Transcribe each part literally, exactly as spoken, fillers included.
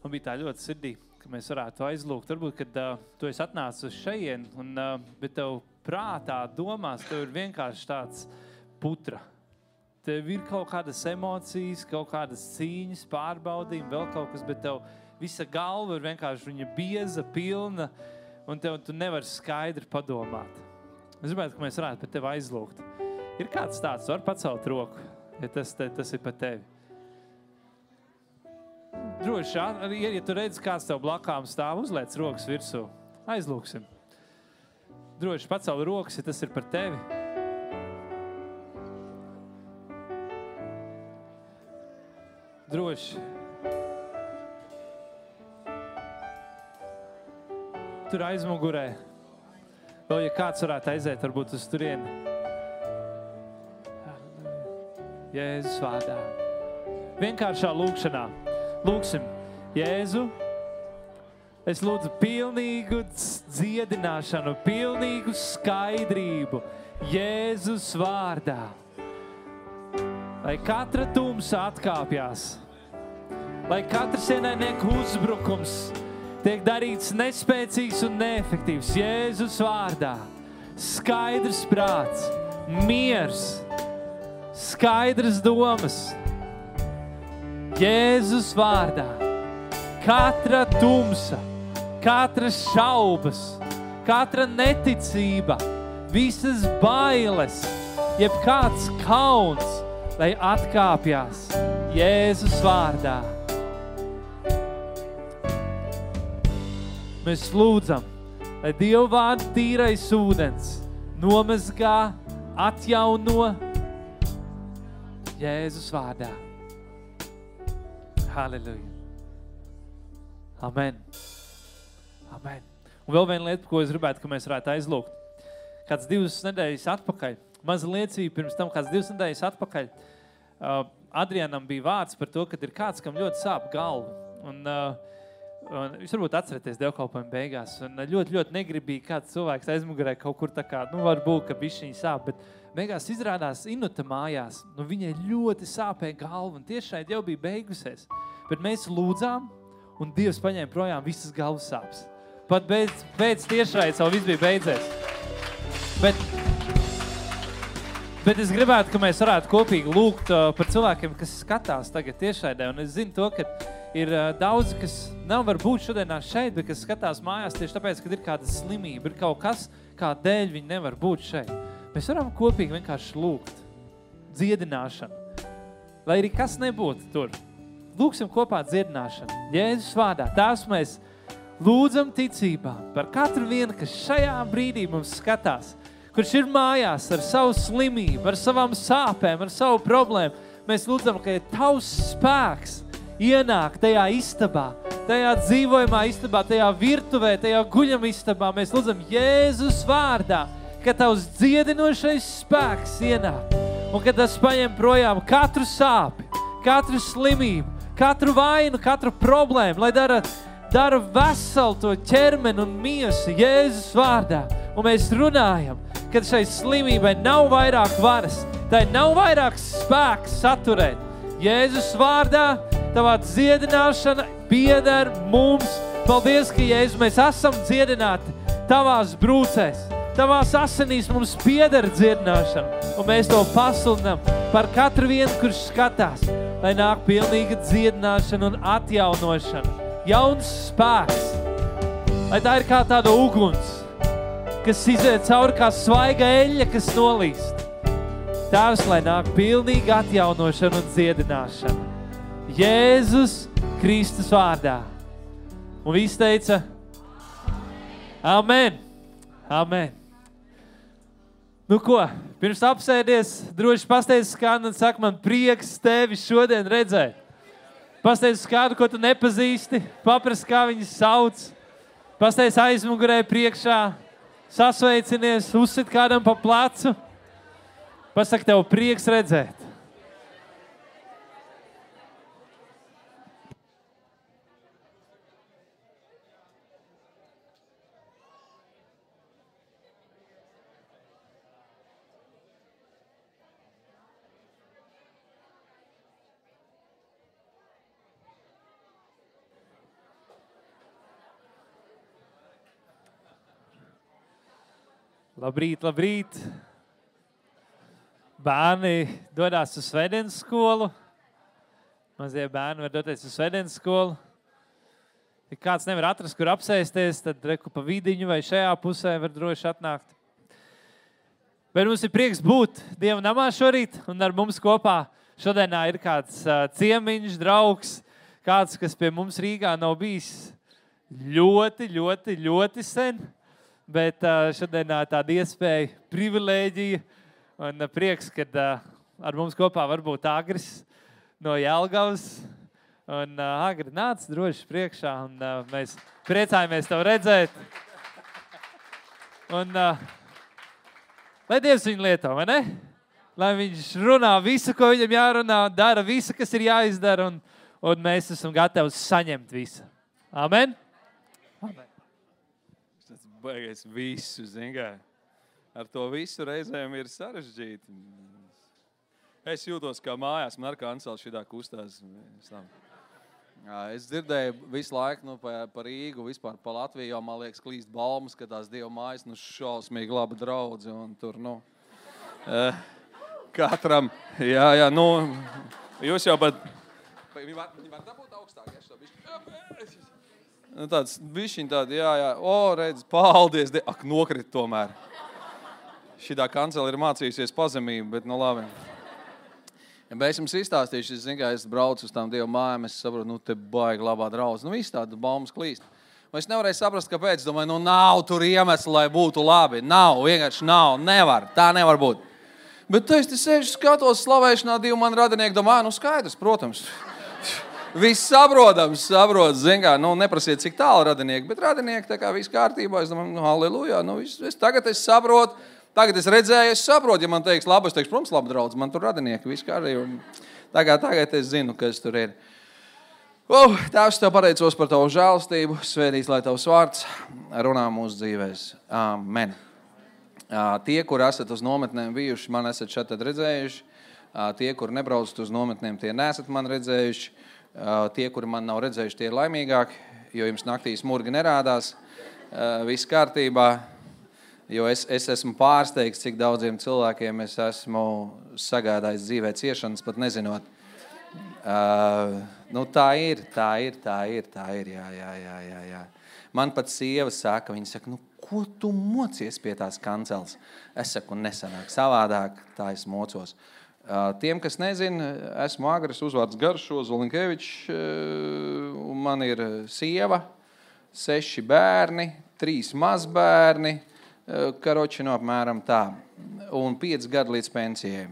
Man bija tā ļoti sirdī, ka mēs varētu aizlūgt. Varbūt, kad uh, tu esi atnācis uz šeien, un, uh, bet tev prātā, domās, tev ir vienkārši tāds putra. Tev ir kaut kādas emocijas, kaut kādas cīņas, pārbaudījumi, vēl kaut kas, bet tev visa galva ir vienkārši viņa bieza, pilna, un tev tu nevari skaidri padomāt. Es gribētu, ka mēs varētu par tevi aizlūgt. Ir kāds tāds, tu vari pacelt roku, ja tas, te, tas ir par tevi. Droši, ja, ja tu redzi, kāds tev blakām stāv, uzliec rokas virsū. Aizlūksim. Droši, pacel rokas, ja tas ir par tevi. Droši. Tur aizmugurē. Vēl, ja kāds varētu aiziet, varbūt uz turieni. Jēzus vārdā. Vienkāršā lūkšanā. Lūksim, Jēzu, es lūdzu pilnīgu dziedināšanu, pilnīgu skaidrību Jēzus vārdā. Lai katra tumsa atkāpjās, lai katrs ienaidnieku uzbrukums tiek darīts nespēcīgs un neefektīvs Jēzus vārdā. Skaidrs prāts, miers, skaidras domas. Jēzus vārdā. Katra tumsa, katras šaubas, katra neticība, visas bailes, jeb kāds kauns, lai atkāpjās Jēzus vārdā. Mēs lūdzam, lai Dieva vārda tīrais ūdens nomazgā, atjauno Jēzus vārdā. Halleluja. Amen. Amen. Un vēl viena lieta, ko es gribētu, ka mēs varētu aizlūgt. Kāds divas nedēļas atpakaļ, maza liecība pirms tam, kāds divas nedēļas atpakaļ, uh, Adrianam bija vārds par to, ka ir kāds, kam ļoti sāp galva. Un, uh, un jūs varbūt atceraties dievkalpojuma beigās. Un ļoti, ļoti negribīgi kāds cilvēks aizmugurē kaut kur tā kā, nu varbūt, ka bišķiņi sāp, bet beigās izrādās Inuta mājās, nu viņai ļoti sāpēja galva, un tiešai jau bija beigusies. Bet mēs lūdzām, un Dievs paņēma projām visas galvas sāpes. Pat beidz, beidz tiešai, savu viss bija beidzies. Bet, bet es gribētu, ka mēs varētu kopīgi lūgt uh, par cilvēkiem, kas skatās tagad tiešraidē, un es zinu to, ka ir uh, daudzi, kas nav varbūt šodienā šeit, bet kas skatās mājās tieši tāpēc, ka ir kāda slimība, ir kaut kas, kā dēļ viņi nevar būt šeit. Mēs varam kopīgi vienkārši lūgt dziedināšanu, lai arī kas nebūtu tur. Lūksim kopā dziedināšanu. Jēzus vārdā. Tās mēs lūdzam ticībā par katru vienu, kas šajā brīdī mums skatās, kurš ir mājās ar savu slimību, ar savām sāpēm, ar savu problēmu. Mēs lūdzam, ka ja tavs spēks ienāk tajā istabā, tajā dzīvojumā istabā, tajā virtuvē, tajā guļam istabā. Mēs lūdzam Jēzus vārdā, ka tavs dziedinošais spēks ienāk un ka tas paņem projām katru sāpi, katru slimību, katru vainu, katru problēmu, lai dara, dara veselu to ķermeni un miesu Jēzus vārdā. Un mēs runājam, ka šai slimībai nav vairāk varas, tai nav vairāk spēks saturēt. Jēzus vārdā tavā dziedināšana pieder mums. Paldies, ka Jēzus, mēs esam dziedināti tavās brūcēs. Tavās asinīs mums pieder dziedināšana, un mēs to pasludinām par katru vienu, kurš skatās, lai nāk pilnīga dziedināšana un atjaunošana. Jauns spēks, lai tā ir kā tāda uguns, kas iziet cauri kā svaiga eļļa, kas nolīst. Tēvs, lai nāk pilnīga atjaunošana un dziedināšana. Jēzus Kristus vārdā. Un visi teica, amen, amen. Nu ko, pirms apsēdies, droši pasteidz kādu un saka, man prieks tevi šodien redzēt. Pasteidz kādu, ko tu nepazīsti, paprast, kā viņu sauc. Pasteidz aizmugurē priekšā, sasveicinies, uzsit kādam pa plecu. Pasaka, tev prieks redzēt. Labrīt, labrīt. Bērni dodās uz svētdienas skolu. Mazie bērni var doties uz svētdienas skolu. Ja kāds nevar atrast, kur apsēsties, tad reku pa vidiņu vai šajā pusē var droši atnākt. Bet mums ir prieks būt Dieva namā šorīt, un ar mums kopā šodienā ir kāds uh, ciemiņš, draugs, kāds, kas pie mums Rīgā nav bijis ļoti, ļoti, ļoti sen, bet uh, šodienā tāda iespēja, privilēģija un uh, prieks, kad uh, ar mums kopā var būt Agris no Jelgavas. Un uh, Agri, nāc droši priekšā, un uh, mēs priecājamies tev redzēt. Un uh, lai Dievs viņu lieto, vai ne? Lai viņš runā visu, ko viņam jārunā, dara visu, kas ir jāizdara, un, un mēs esam gatavi saņemt visu. Amen? Amen. Tas baigais visu, zin kā. Ar to visu reizēm ir sarežģīti. Es jūtos kā mājās, man ar kanceli šitā kustās. Es dzirdēju visu laiku nu, pa, pa Rīgu, vispār pa Latviju, jo man liekas klīst balmas, ka tās Dieva mājas nu, šausmīgi laba draudze. Un tur, nu, eh, katram, jā, jā, nu, jūs jau pat... Viņi var, viņi var dabūt augstāk, ja šo bišķi. Nu, tāds bišķiņ tādi, jā, jā, o, redz, paldies, de... ak, nokrit tomēr. Šitā kancela ir mācījusies pazemību, bet, nu, labi. Ja es jums izstāstīšu, es zinu, ka es braucu uz tām Dieva mājām, es saprotu, nu, te baigi labā draudze. Nu, viss tāda baumas klīst. Un es nevarēju saprast, kāpēc. Es domāju, nu, nav tur iemesli, lai būtu labi. Nav, vienkārši nav, nevar. Tā nevar būt. Bet es te sēžu, skatos slavēšanā divu man radinieki, domāju, nu, skaidrs, protams. Viss saprotams, saprot, zin kā, nu, neprasiet, cik tālu radinieki, bet radinieki tā kā viss kārtībā. Es domāju, nu, halleluja, nu, viss, es, tagad es saprotu. Tagad es redzēju, es saprotu, ja man teiks labi, es teikšu, protams, labi draudz, man tur radinieki, viss kārtībā. Tagad, tagad es zinu, kas tur ir. Oh, Tēvs, tev pateicos par tavu žēlastību, svētīts, lai tavs vārds runā mūsu dzīvēs. Amen. Tie, kur esat uz nometnēm bijuši, man esat šeit redzējuši. Tie, kur nebraucat uz nometnēm, tie nesat man redzējuši. Tie, kuri man nav redzējuši, tie ir laimīgāki, jo jums naktīs murgi nerādās. Viss kārtībā. Jo es, es esmu pārsteigts, cik daudziem cilvēkiem es esmu sagādājis dzīvē ciešanas, pat nezinot. Uh, nu, tā ir, tā ir, tā ir, tā ir, jā, jā, jā, jā, jā. Man pat sieva saka, viņa saka, nu, ko tu mocies pie tās kanceles? Es saku, nesanāk savādāk, tā es mocos. Uh, tiem, kas nezina, esmu Agris, uzvārds Garšo, Zolinkevičs, uh, man ir sieva, seši bērni, trīs mazbērni, karoči no apmēram tā. Un pieci gadi līdz pensijai.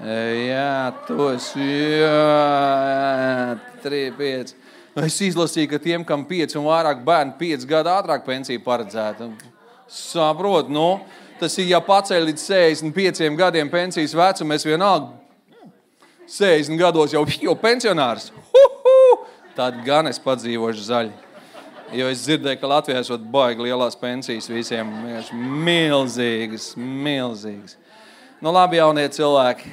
Jā, tos, jā, trīs, pieci. Es izlasīju, ka tiem, kam pieci un vairāk bērni, pieci gadi ātrāk pensiju paredzēta. Saprot, nu, tas ir, ja paceļ līdz sešdesmit pieciem gadiem pensijas vecumu, es vienalga sešdesmit gados jau, jau pensionārs. Huhu! Tad gan es padzīvošu zaļi. Jo es dzirdēju, ka Latvijā esot baigi lielās pensijas visiem. Milzīgas, milzīgas. Nu labi, jaunie cilvēki.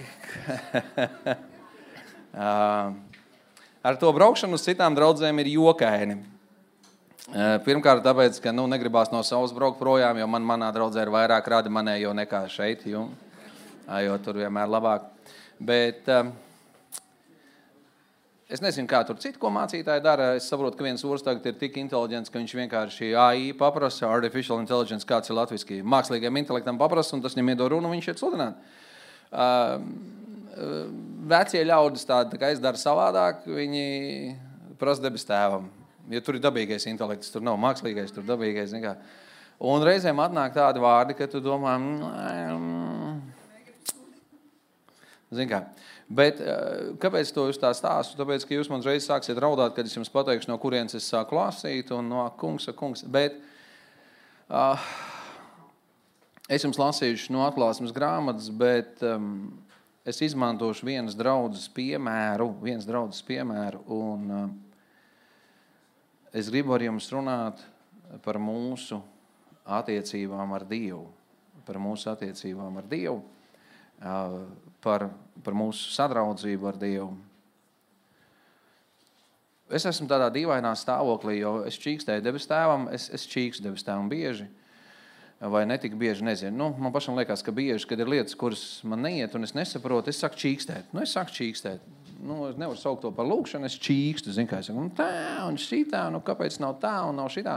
Ar to braukšanu uz citām draudzēm ir jokaini. Pirmkārt, tāpēc, ka nu, negribās no savas braukt projām, jo man manā draudzē ir vairāk radi manējo nekā šeit, jo, jo tur vienmēr labāk. Bet... Es nezinu, kā tur citu, ko mācītāji dara. Es saprotu, ka viens urs tagad ir tik inteliģents, ka viņš vienkārši A I paprasa, Artificial Intelligence, kāds ir latviski, mākslīgiem intelektam paprasa, un tas viņam iedod runu, un viņš iet sludināt. Uh, vecie ļaudis tādi, tā kā es daru savādāk, viņi prasa debes tēvam. Ja tur ir dabīgais intelekts, tur nav mākslīgais, tur dabīgais, nekā. Un reizēm atnāk tādi vārdi, ka tu domā, mm, zin kā. Bet kāpēc to jūs tā stāstu? Tāpēc, ka jūs man reiz sāksiet raudāt, kad es jums pateikšu, no kurienes es sāku lasīt, un no kungs, kungs. Bet uh, es jums lasīšu no atklāsmes grāmatas, bet um, es izmantošu vienas draudzes piemēru, vienas draudzes piemēru, un uh, es gribu ar jums runāt par mūsu attiecībām ar Dievu, par mūsu attiecībām ar Dievu. Par, par mūsu sadraudzību ar Dievu. Es esmu tādā dīvainā stāvoklī, jo es čīkstēju debes tēvam, es, es čīkstu debes tēvam bieži. vai netik bieži, nezinu. Nu, man pašam liekas, ka bieži, kad ir lietas, kuras man neiet un es nesaprotu, es saku čīkstēt. Nu, es saku čīkstēt. Nu, es nevaru saukt to par lūkšanu, es čīkstu, zinu, kā es saku, nu, tā un šitā, nu, kāpēc nav tā un nav šitā.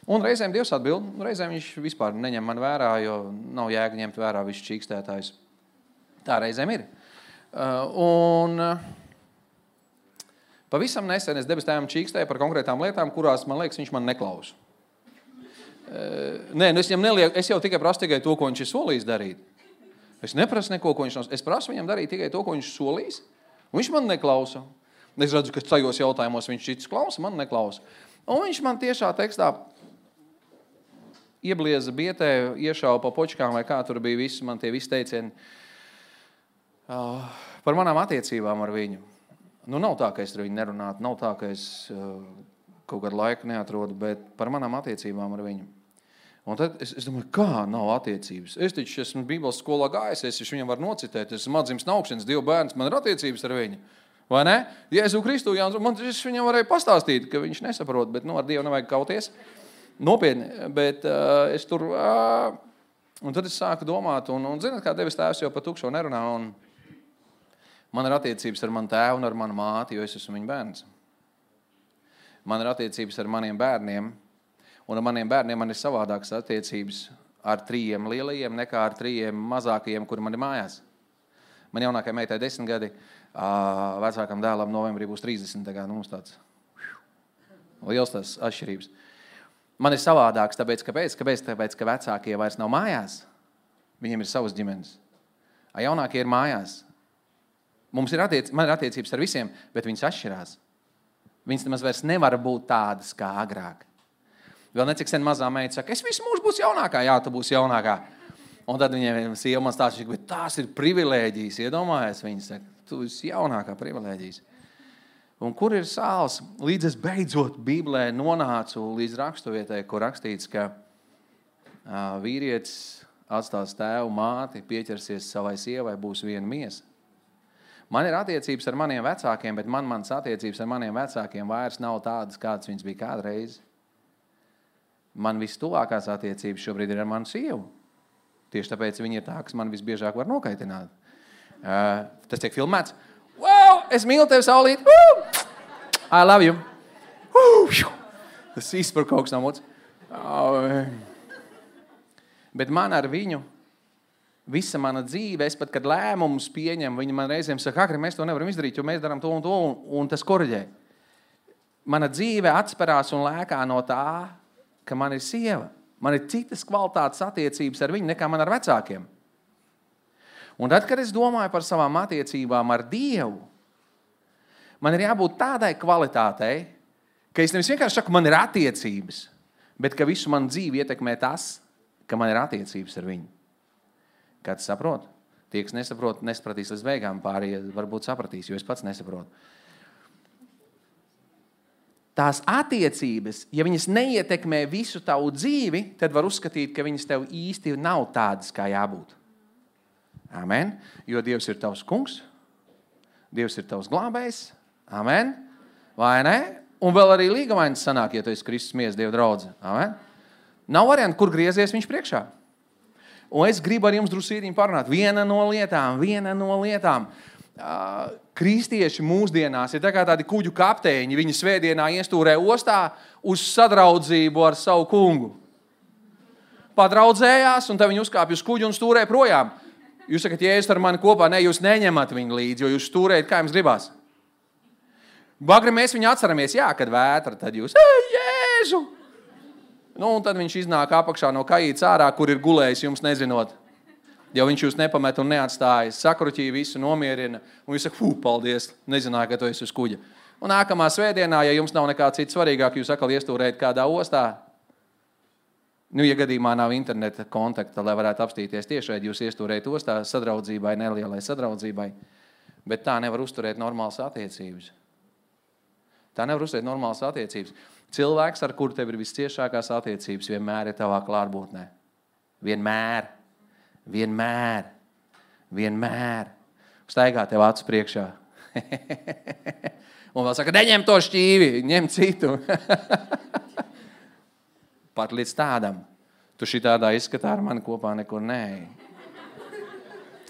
Un reizēm Dievs atbild, reizēm viņš vispār neņem man vērā, jo nav jēga ņemt vērā visu čīkstētājs. Tā reizēm ir. Uh, un uh, pavisam nesen es debes tēvam čīkstēju par konkrētām lietām, kurās, man liekas, viņš man neklausa. Uh, nē, nu es, nelieku, es jau tikai prasu tikai to, ko viņš ir solījis darīt. Es neprasu neko, ko viņš nav. Es prasu viņam darīt tikai to, ko viņš solījis, un viņš man neklausa. Es redzu, ka tajos jautājumos viņš cits klausa, man neklausa. Un viņš man tiešā tekstā ieblieza bietē, iešauja pa počkām, vai kā tur bija viss, man tie visi teicieni uh, par manām attiecībām ar viņu. Nu, nav tā, ka es ar viņu nerunātu, nav tā, ka es uh, kaut kādu laiku neatrodu, bet par manām attiecībām ar viņu. Un tad es, es domāju, kā nav attiecības? Es taču esmu Bībeles skolā gājis, es viņam varu nocitēt, es esmu atdzimis no augšanas, Dievu bērns, man ir attiecības ar viņu. Vai ne? Jēzu Kristu, jā, man es viņam varēju pastāstīt, ka viņš nesaprot, bet nu, ar Dievu nevajag kauties. Nopietni, bet uh, es tur, uh, un tad es sāku domāt, un, un zināt, kā Devis tēvs jau par tukšo nerunā, un man ir attiecības ar manu tēvu un ar manu māti, jo es esmu viņa bērns. Man ir attiecības ar maniem bērniem, un ar maniem bērniem man ir savādākas attiecības ar trījiem lielajiem nekā ar trījiem mazākajiem, kuri man ir mājās. Man jaunākai meitai desmit gadi, uh, vecākam dēlam novembrī būs trīsdesmit, tā kā nu, mums tāds liels tās atšķirības. Man ir savādāks, tāpēc, kāpēc? Kāpēc? Tāpēc, ka vecākie vairs nav mājās. Viņiem ir savas ģimenes. A jaunākie ir mājās. Mums ir attiec, man ir attiecības ar visiem, bet viņas atšķirās. Viņas nemaz vairs nevar būt tādas kā agrāk. Vēl necik sen mazā meita saka, es visu mūžu būs jaunākā, jā, tu būs jaunākā. Un tad viņiem sieva man stāsta, bet tās ir privilēģijas, iedomājies, viņi saka, tu esi jaunākā privilēģijas. Un kur ir sāls? Līdz es beidzot Bībelē nonācu līdz raksturvietai, kur rakstīts, ka uh, vīrietis atstās tēvu māti, pieķersies savai sievai, būs viena miesa. Man ir attiecības ar maniem vecākiem, bet man mans attiecības ar maniem vecākiem vairs nav tādas, kādas viņas bija kādreiz. Man vistuvākās attiecības šobrīd ir ar manu sievu. Tieši tāpēc viņi ir tā, kas man visbiežāk var nokaitināt. Uh, tas tiek filmēts. Wow, es mīlu tevi, Saulīt. Woo! I love you. Woo! Tas izspar kaut kas no muts. Oh. Bet man ar viņu, visa mana dzīve, es pat, kad lēmumus pieņem, viņi man reizēm saka, Agri, mēs to nevaram izdarīt, jo mēs darām to un to, un, un tas korģē. Mana dzīve atsperās un lēkā no tā, ka man ir sieva. Man ir citas kvalitātes attiecības ar viņu nekā man ar vecākiem. Un tad, kad es domāju par savām attiecībām ar Dievu, man ir jābūt tādai kvalitātei, ka es nevis vienkārši saku, man ir attiecības, bet ka visu manu dzīvi ietekmē tas, ka man ir attiecības ar viņu. Kāds saprot? Tie, kas nesaprot, nesapratīs līdz beigām, pārējie varbūt sapratīs, jo es pats nesaprotu. Tās attiecības, ja viņas neietekmē visu tavu dzīvi, tad var uzskatīt, ka viņas tev īsti nav tādas, kā jābūt. Amen. Jo Dievs ir tavs kungs, Dievs ir tavs glābējs. Amen. Vai ne? Un vēl arī līgavainis sanāk, ja tu esi Kristus miesa Dieva draudze. Amen. Nav varianti, kur griezies viņš priekšā. Un es gribu ar jums drusītiņ parunāt. Viena no lietām, viena no lietām. Uh, kristieši mūsdienās ir tā kā tādi kuģu kapteiņi. Viņi svētdienā iestūrē ostā uz sadraudzību ar savu kungu. Padraudzējās, un tad viņi uzkāpj uz kuģu un stūrē projām. Jūs sakat, Jēzus ar mani kopā, ne, jūs neņemat viņu līdzi, jo jūs stūrējat, kā jums gribās. Bagri mēs viņu atceramies, jā, kad vētra, tad jūs, ei, Jēzu! Nu, un tad viņš iznāk apakšā no kajītes ārā, kur ir gulējis, jums nezinot. Jo viņš jūs nepamet un neatstāja, sakruķī visu nomierina, un jūs saka, fū, paldies, nezināju, ka tu esi uz kuģa. Un nākamā svētdienā, ja jums nav nekā cits svarīgāk, jūs atkal iestūrējat kādā ostā, nu, ja gadījumā nav interneta kontakta, lai varētu apstīties tiešai, jūs iestūrējat ostā sadraudzībai, nelielai sadraudzībai, bet tā nevar uzturēt normālas attiecības. Tā nevar uzturēt normālas attiecības. Cilvēks, ar kuru tev ir visciešākās attiecības, vienmēr ir tavā klātbūtnē. Vienmēr. Vienmēr. Vienmēr. Staigā tev acu priekšā. Un vēl saka, neņem to šķīvi, ņem citu. Pat līdz tādam. Tu šitādā izskatā ar mani kopā nekur neej.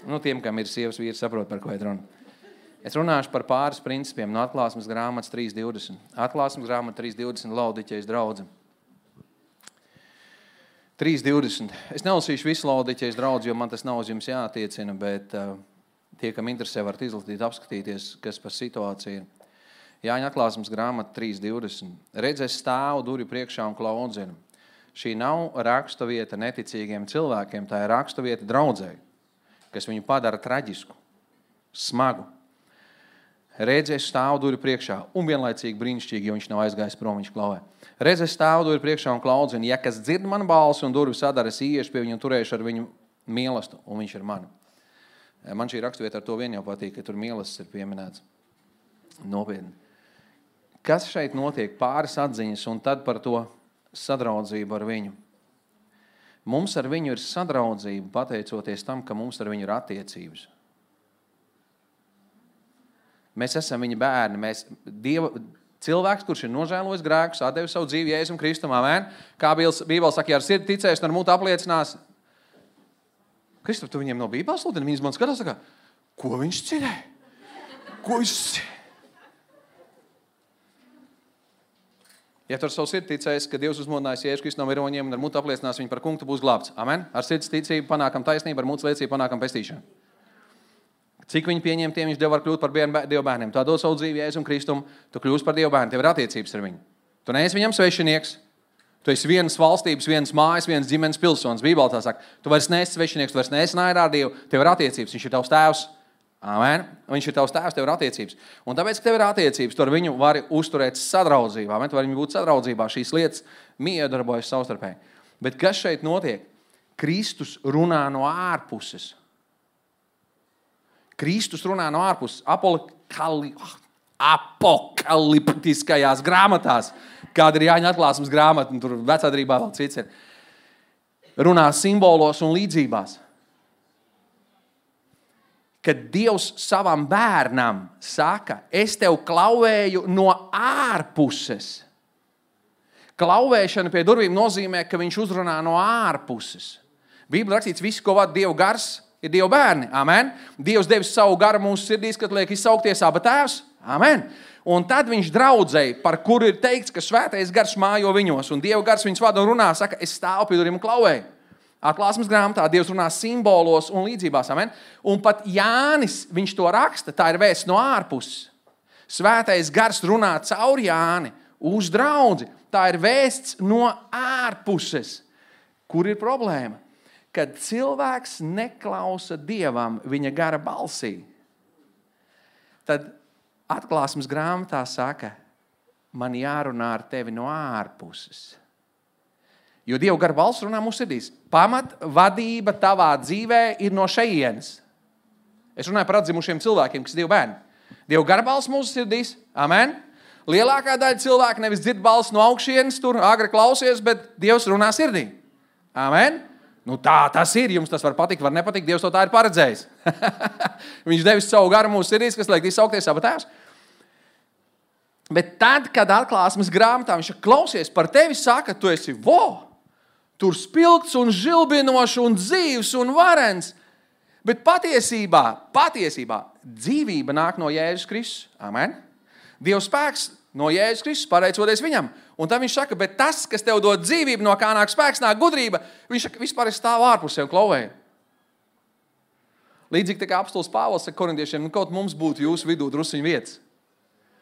Nu, tiem, kam ir sievas vīri, saprot, par ko ir runa. Es runāšu par pāris principiem no atklāsmes grāmatas trīs divdesmit. Atklāsmes grāmata trīs divdesmit Laodiķejas draudze. trīs divdesmit. Es nelasīšu visu Laodiķejas draudzi, jo man tas nav uz jums jātiecina, bet uh, tie, kam interesē, varat izlasīt, apskatīties, kas par situāciju ir. Jāņa atklāsmes grāmata trīs divdesmit. Redz, es stāvu durvju priekšā un klaudzinu. Šī nav raksta vieta neticīgiem cilvēkiem, tā ir raksta vieta draudzei, kas viņu padara traģisku, smagu. Redz, es stāvu durvju priekšā un vienlaicīgi brīnišķīgi, jo viņš nav aizgājis prom, viņš klauvē. Redz, es stāvu durvju priekšā un klaudzinu. Ja kas dzird manu balsi un durvju sadara, es iešu pie viņu un turēšu ar viņu mīlestību, un viņš ir mani. Man šī rakstvieta ar to vien jau patīk, ka tur mīlestības ir pieminēts. Nopietni. Kas šeit notiek? Pāris atziņas un tad par to sadraudzību ar viņu. Mums ar viņu ir sadraudzība, pateicoties tam, ka mums ar viņu ir attiecības. Mēs esam viņa bērni. Mēs, Dieva, cilvēks, kurš ir nožēlojis grēkus, atdevis savu dzīvi Jēzum Kristum, amen. Kā Bībele saka, ja ar sirdi ticēs un ar muti apliecinās. Kristof, tu viņiem no Bībeles sludini? Viņas man skatās, saka, ko viņš cilē? Ko viņš cilē? Ja tu ar savu sirdi ticēs, ka Dievs uzmodinājis Jēzus Kristus no miroņiem un ar muti apliecinās viņu par kungu, tu būs glābts. Amen? Ar sirds ticību panākam taisnību, ar muti liecību panākam pestīšanu. Cik viņi pieņem, tiem viņš Dievu var kļūt par Dievu bērniem. Tu dod savu dzīvi Jēzum Kristum, tu kļūsi par Dievu bērnu, tev ir attiecības ar viņu. Tu neesi viņam svešinieks, tu esi vienas valstības, vienas mājas, vienas ģimenes pilsonis. Bībele tā saka, tu vairs neesi svešinieks, tu vairs neesi naidā ar Dievu, tev ir attiecības, viņš ir tavs tēvs. Amen. Viņš ir tavs tēvs, tev ir attiecības. Un tāpēc, ka tev ir attiecības, tu ar viņu vari uzturēt sadraudzībā. Amen. Tu vari viņu būt sadraudzībā. Šīs lietas miedarbojas savstarpēji. Bet kas šeit notiek? Kristus runā no ārpuses. Kristus runā no ārpuses. Apokali... apokaliptiskajās grāmatās, kāda ir Jāņa atklāsmes grāmata, un tur vecādarībā vēl cits ir. Runā simbolos un līdzībās. Kad Dievs savam bērnam saka, es tev klauvēju no ārpuses. Klauvēšana pie durvīm nozīmē, ka viņš uzrunā no ārpuses. Bībelē rakstīts, viss, ko vada Dieva gars, ir Dieva bērni. Amen. Dievs devis savu garu mūsu sirdīs, kad liek izsaukties Aba tēvs. Amen. Un tad viņš draudzēja, par kuru ir teikts, ka svētais gars mājo viņos, un Dieva gars viņus vada un runā, saka, es stāvu pie durvīm un klauvēju. Atklāsmes grāmatā Dievs runā simbolos un līdzībās. Amen? Un pat Jānis, viņš to raksta, tā ir vēsts no ārpuses. Svētais gars runā caur Jāni uz draudzi. Tā ir vēsts no ārpuses. Kur ir problēma? Kad cilvēks neklausa Dievam viņa gara balsī, tad atklāsmes grāmatā saka, man jārunā ar tevi no ārpuses. Jo Dieva gara balss runā mūsu sirdīs. Pamat vadība tavā dzīvē ir no šejienes. Es runāju par atzimušiem cilvēkiem, kas ir Dieva bērni. Dieva gara balss mūsu sirdīs. Amen. Lielākā daļa cilvēku nevis dzird balss no augšienes, tur agri klausies, bet Dievs runā sirdī. Amen. Nu tā tas ir. Jums tas var patikt, var nepatikt. Dievs to tā ir paredzējis. Viņš devis savu garu mūsu sirdīs, kas liek izsaukties Aba tēvs. Bet tad, kad atklāsmes grāmatā viņš klausies par tevi, saka, tu esi vo. Tur spilgts un žilbinošs un dzīvs un varens. Bet patiesībā, patiesībā dzīvība nāk no Jēzus Kristus. Amen. Dieva spēks no Jēzus Kristus, pateicoties viņam. Un tad viņš saka, bet tas, kas tev dod dzīvību, no kā nāk spēks, nāk gudrība, viņš saka, vispār es stāvu ārpusē un klauvēju. Līdzīgi tā kā apostols Pāvils saka korintiešiem, nu kaut mums būtu jūsu vidū drusiņu vietas.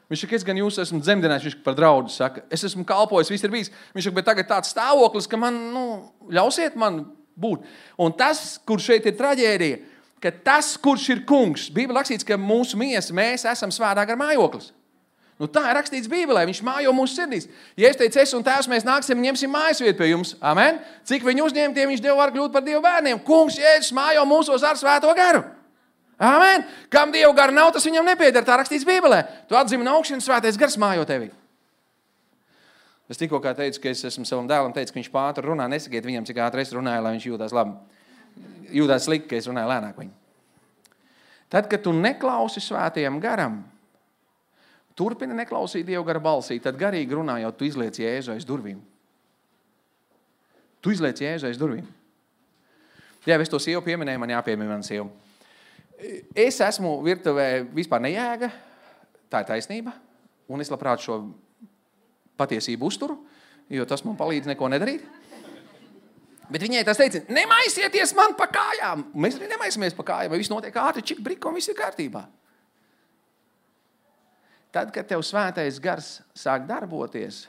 Viņš saka, es gan jūs esmu dzemdinājis, viņš par draudu saka, es esmu kalpojis, viss ir bijis. Viņš saka, bet tagad tāds stāvoklis, ka man, nu, ļausiet man būt. Un tas, kur šeit ir traģēdija, ka tas, kurš ir kungs, Bībelē rakstīts, ka mūsu miesa, mēs esam svētā gara mājoklis. Nu tā ir rakstīts Bībelē, viņš mājo mūsu sirdīs. Ja es teicu, es un tēvs, mēs nāksim un ņemsim mājas vietu pie jums. Amen. Cik viņu uzņemtiem viņš Dievu var kļūt par Dievu bērniem. Kungs, Jēzus mājo mūsos ar svēto garu. Amen. Kam Dievu gara nav, tas viņam nepieder. Tā rakstīts Bībelē. Tu atzimi no augšas, svētais gars mājo tevi. Es tikko kā teicu, ka es esmu savam dēlam teicu, ka viņš pātri runā. Nesakiet viņam, cik ātri es runāju, lai viņš jūtās labi. Jūtās slikti, ka es runāju lēnāk viņu. Tad, kad tu neklausi svētajam garam, turpini neklausīt Dievu gara balsī, tad garīgi runājot, tu izliec Jēzu aiz durvīm. Tu izliec Jēzu aiz durvīm. Jā, es to sievu pieminēju, man jāpiemina man sievu. Es esmu virtuvē vispār nejēga, tā ir taisnība, un es labprāt šo patiesību uzturu, jo tas man palīdz neko nedarīt. Bet viņai tas teica, nemaisieties man pa kājām. Mēs arī nemaisamies pa kājām, vai viss notiek ātri, čik briko, un viss ir kārtībā. Tad, kad tev svētais gars sāk darboties,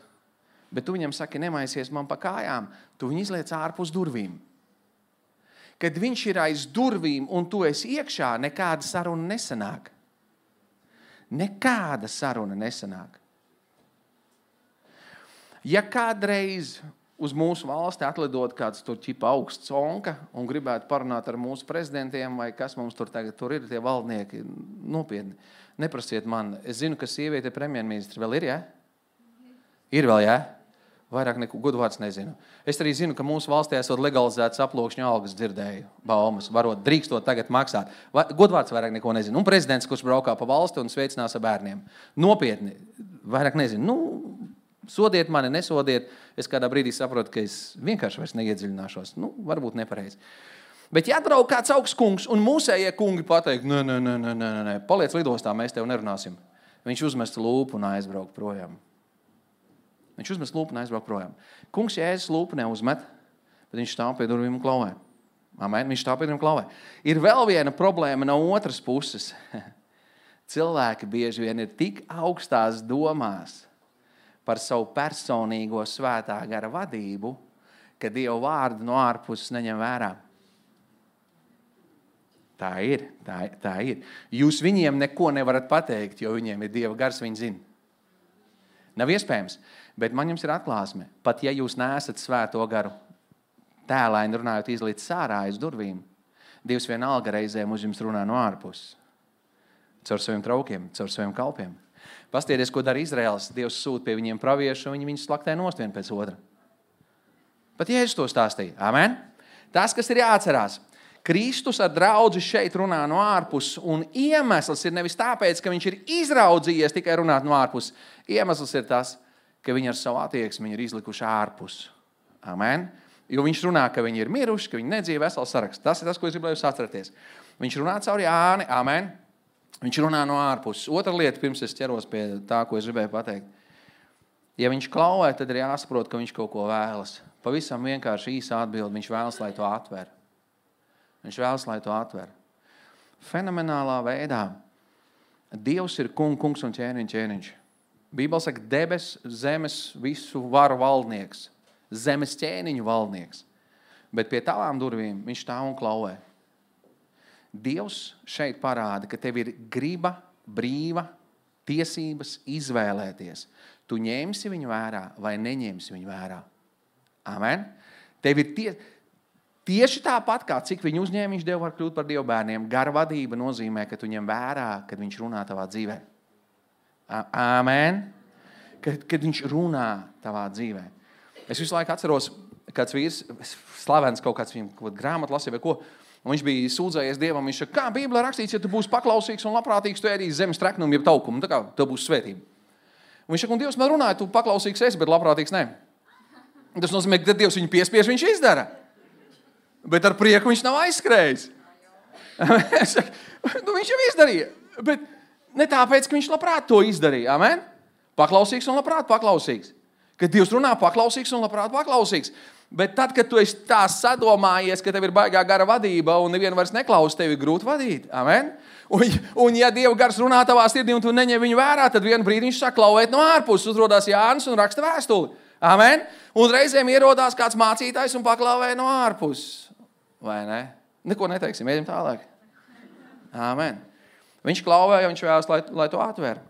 bet tu viņam saki, nemaisies man pa kājām, tu viņu izliec ārpus durvīm. Kad viņš ir aiz durvīm un tu esi iekšā, nekāda saruna nesanāk. Nekāda saruna nesanāk. Ja kādreiz uz mūsu valsti atlidot kāds tur ķipa augsts onka un gribētu parunāt ar mūsu prezidentiem vai kas mums tur tagad tur ir, tie valdnieki, nopietni, neprasiet man. Es zinu, ka sieviete premjerministra vēl ir, jā? Ja? Ir vēl, jā? Ja? Vairāk neko godvārds nezinu. Es arī zinu, ka mūsu valstī esot legalizētas aplokšņu algas dzirdēju, baumas, varot drīkstot tagad maksāt. Godvārds vairāk neko nezinu. Un prezidents, kurš braukā pa valsti un sveicinās ar bērniem. Nopietni, vairāk nezinu. Nu, sodiet mani, nesodiet. Es kādā brīdī saprotu, ka es vienkārši vairs neiedziļināšos. Nu, varbūt nepareizi. Bet ja atbrauk kāds augsts kungs un mūsējie kungi pateikt, nē, nē, nē, nē, nē, nē, paliec lidostā, mēs tev nerunāsim. Viņš uzmest lūpu un aizbrauk projām. Viņš uzmest lūpu un aizbrauk projām. Kungs Jēzus lūpu neuzmet, bet viņš stāv pie durvīm un klauvē. Amen, viņš stāv pie durvīm un klauvē. Ir vēl viena problēma no otras puses. Cilvēki bieži vien ir tik augstās domās par savu personīgo svētā gara vadību, ka Dieva vārdu no ārpuses neņem vērā. Tā ir, tā, tā ir. Jūs viņiem neko nevarat pateikt, jo viņiem ir Dieva gars, viņi zina. Nav iespējams, bet man jums ir atklāsme. Pat ja jūs neesat svēto garu tēlaini runājot izlīdz sārā aiz durvīm, Dievs vienalga reizēm uz jums runā no ārpuses. Caur saviem traukiem, caur saviem kalpiem. Pastieties, ko dara Izraels. Dievs sūta pie viņiem praviešu, un viņi viņus slaktē nost vien pēc otra. Pat Jēzus to stāstīja. Amen? Tas, kas ir jāatcerās. Kristus ar draudzi šeit runā no ārpuses, un iemesls ir nevis tāpēc, ka viņš ir izraudzījies tikai runāt no ārpuses. Iemesls ir tas, ka viņi ar savu attieksmi ir izlikuši ārpus. Amen? Jo viņš runā, ka viņi ir miruši, ka viņi nedzīvo vesels saraksts. Tas ir tas, ko es gribēju atcerēties. Viņš runā caur Jāni. Amen? Viņš runā no ārpuses. Otra lieta, pirms es ķeros pie tā, ko es gribēju pateikt. Ja viņš klauvē, tad ir jāsaprot, ka viņš kaut ko vēlas. Pavisam vienkārši īsa atbildi. Viņš vēlas, lai to atver. Viņš vēlas, lai to atver. Fenomenālā veidā. Dievs ir kung, kungs un ķēniņ, ķēniņš. Bībele saka, debes, zemes, visu varu valdnieks. Zemes ķēniņu valdnieks. Bet pie tavām durvīm viņš stāv un klauvē. Dievs šeit parāda, ka tev ir griba, brīva, tiesības izvēlēties. Tu ņemsi viņu vērā vai neņemsi viņu vērā. Amen? Tev ir tie... Tieši tāpat, kā cik viņu uzņēmiņš Dievu var kļūt par Dievu bērniem, gara vadība nozīmē, ka tu ņem vērā, kad viņš runā tavā dzīvē. Amen? Kad, kad viņš runā tavā dzīvē. Es visu laiku atceros, kāds vīrs, slavens kaut kāds viņam kaut grāmatu lasīja vai ko, un viņš bija sūdzējies Dievam, viņš saka, kā Bībelē rakstīts, ja tu būsi paklausīgs un labprātīgs, tu ēdīsi zemes treknumu, jeb taukumu, tā kā tev būs svētība. Un viņš saka, un Dievs man runāja, tu paklausīgs esi, bet labprātīgs ne. Tas nozīmē, ka Dievs viņu piespiež, viņš izdara. Bet ar prieku viņš nav aizskrējis. Nu, viņš jau izdarīja. Bet ne tāpēc, ka viņš labprāt to izdarīja. Amen? Paklausīgs un labprāt paklausīgs. Kad Dievs runā, paklausīgs un labprāt paklausīgs. Bet tad, kad tu esi tā sadomājies, ka tev ir baigā gara vadība un nevienu vairs neklaus, tev ir grūti vadīt. Amen? Un, un ja Dieva gars runā tavā sirdī un tu neņem viņu vērā, tad vienu brīdi viņš sāk klauvēt no ārpuses. Uzrodās Jānis un raksta vēstuli. Amen? Un reizēm ierodās kāds mācītājs un paklauvē no ārpuses. Vai ne? Neko neteiksim, ejam tālāk. Amen. Viņš klauvē, jo viņš vēlas, lai, lai to atver.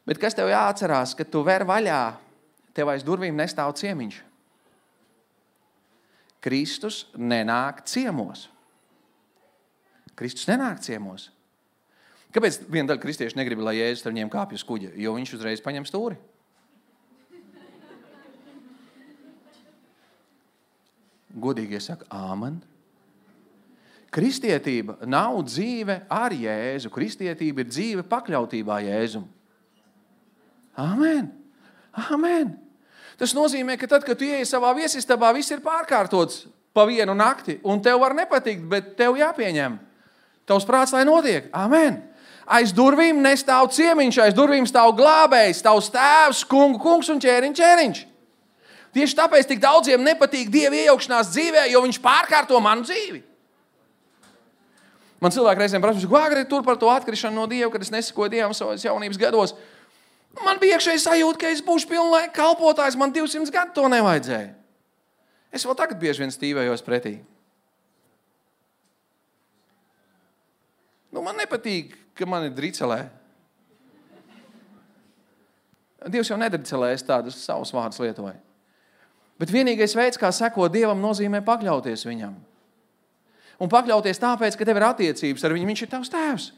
Bet kas tev jāatcerās, kad tu ver vaļā, tev aiz durvīm nestāv ciemiņš. Kristus nenāk ciemos. Kristus nenāk ciemos. Kāpēc viena daļa kristieši negrib, lai Jēzus ar viņiem kāpj uz kuģa? Jo viņš uzreiz paņem stūri. Godīgi es saku, āmen. Kristietība nav dzīve ar Jēzu. Kristietība ir dzīve pakļautībā Jēzum. Āmen. Āmen. Tas nozīmē, ka tad, kad tu ieej savā viesistabā, viss ir pārkārtots pa vienu nakti, un tev var nepatikt, bet tev jāpieņem. Tavs prāts, lai notiek. Amen. Aiz durvīm nestāv ciemiņš, aiz durvīm stāv glābējs, tavs tēvs, kungu kungs un ķēriņš ķēriņš. Tieši tāpēc tik daudziem nepatīk Dieva iejaukšanās dzīvē, jo viņš pārkārto manu dzīvi. Man cilvēki reizēm prasa, ko agri tur par to atkrišanu no Dieva, kad es nesakoju Dievam savas jaunības gados. Man bija iekšēji sajūta, ka es būšu pilnlaika kalpotājs, man divsimt gadu to nevajadzēja. Es vēl tagad bieži vien stīvējos pretī. Nu, man nepatīk, ka man ir dricelē. Dievs jau nedricelē, es tādus savus vārdus lietoju. Bet vienīgais veids, kā sekot Dievam, nozīmē pakļauties viņam. Un pakļauties tāpēc, ka tev ir attiecības ar viņu, viņš ir tavs tēvs.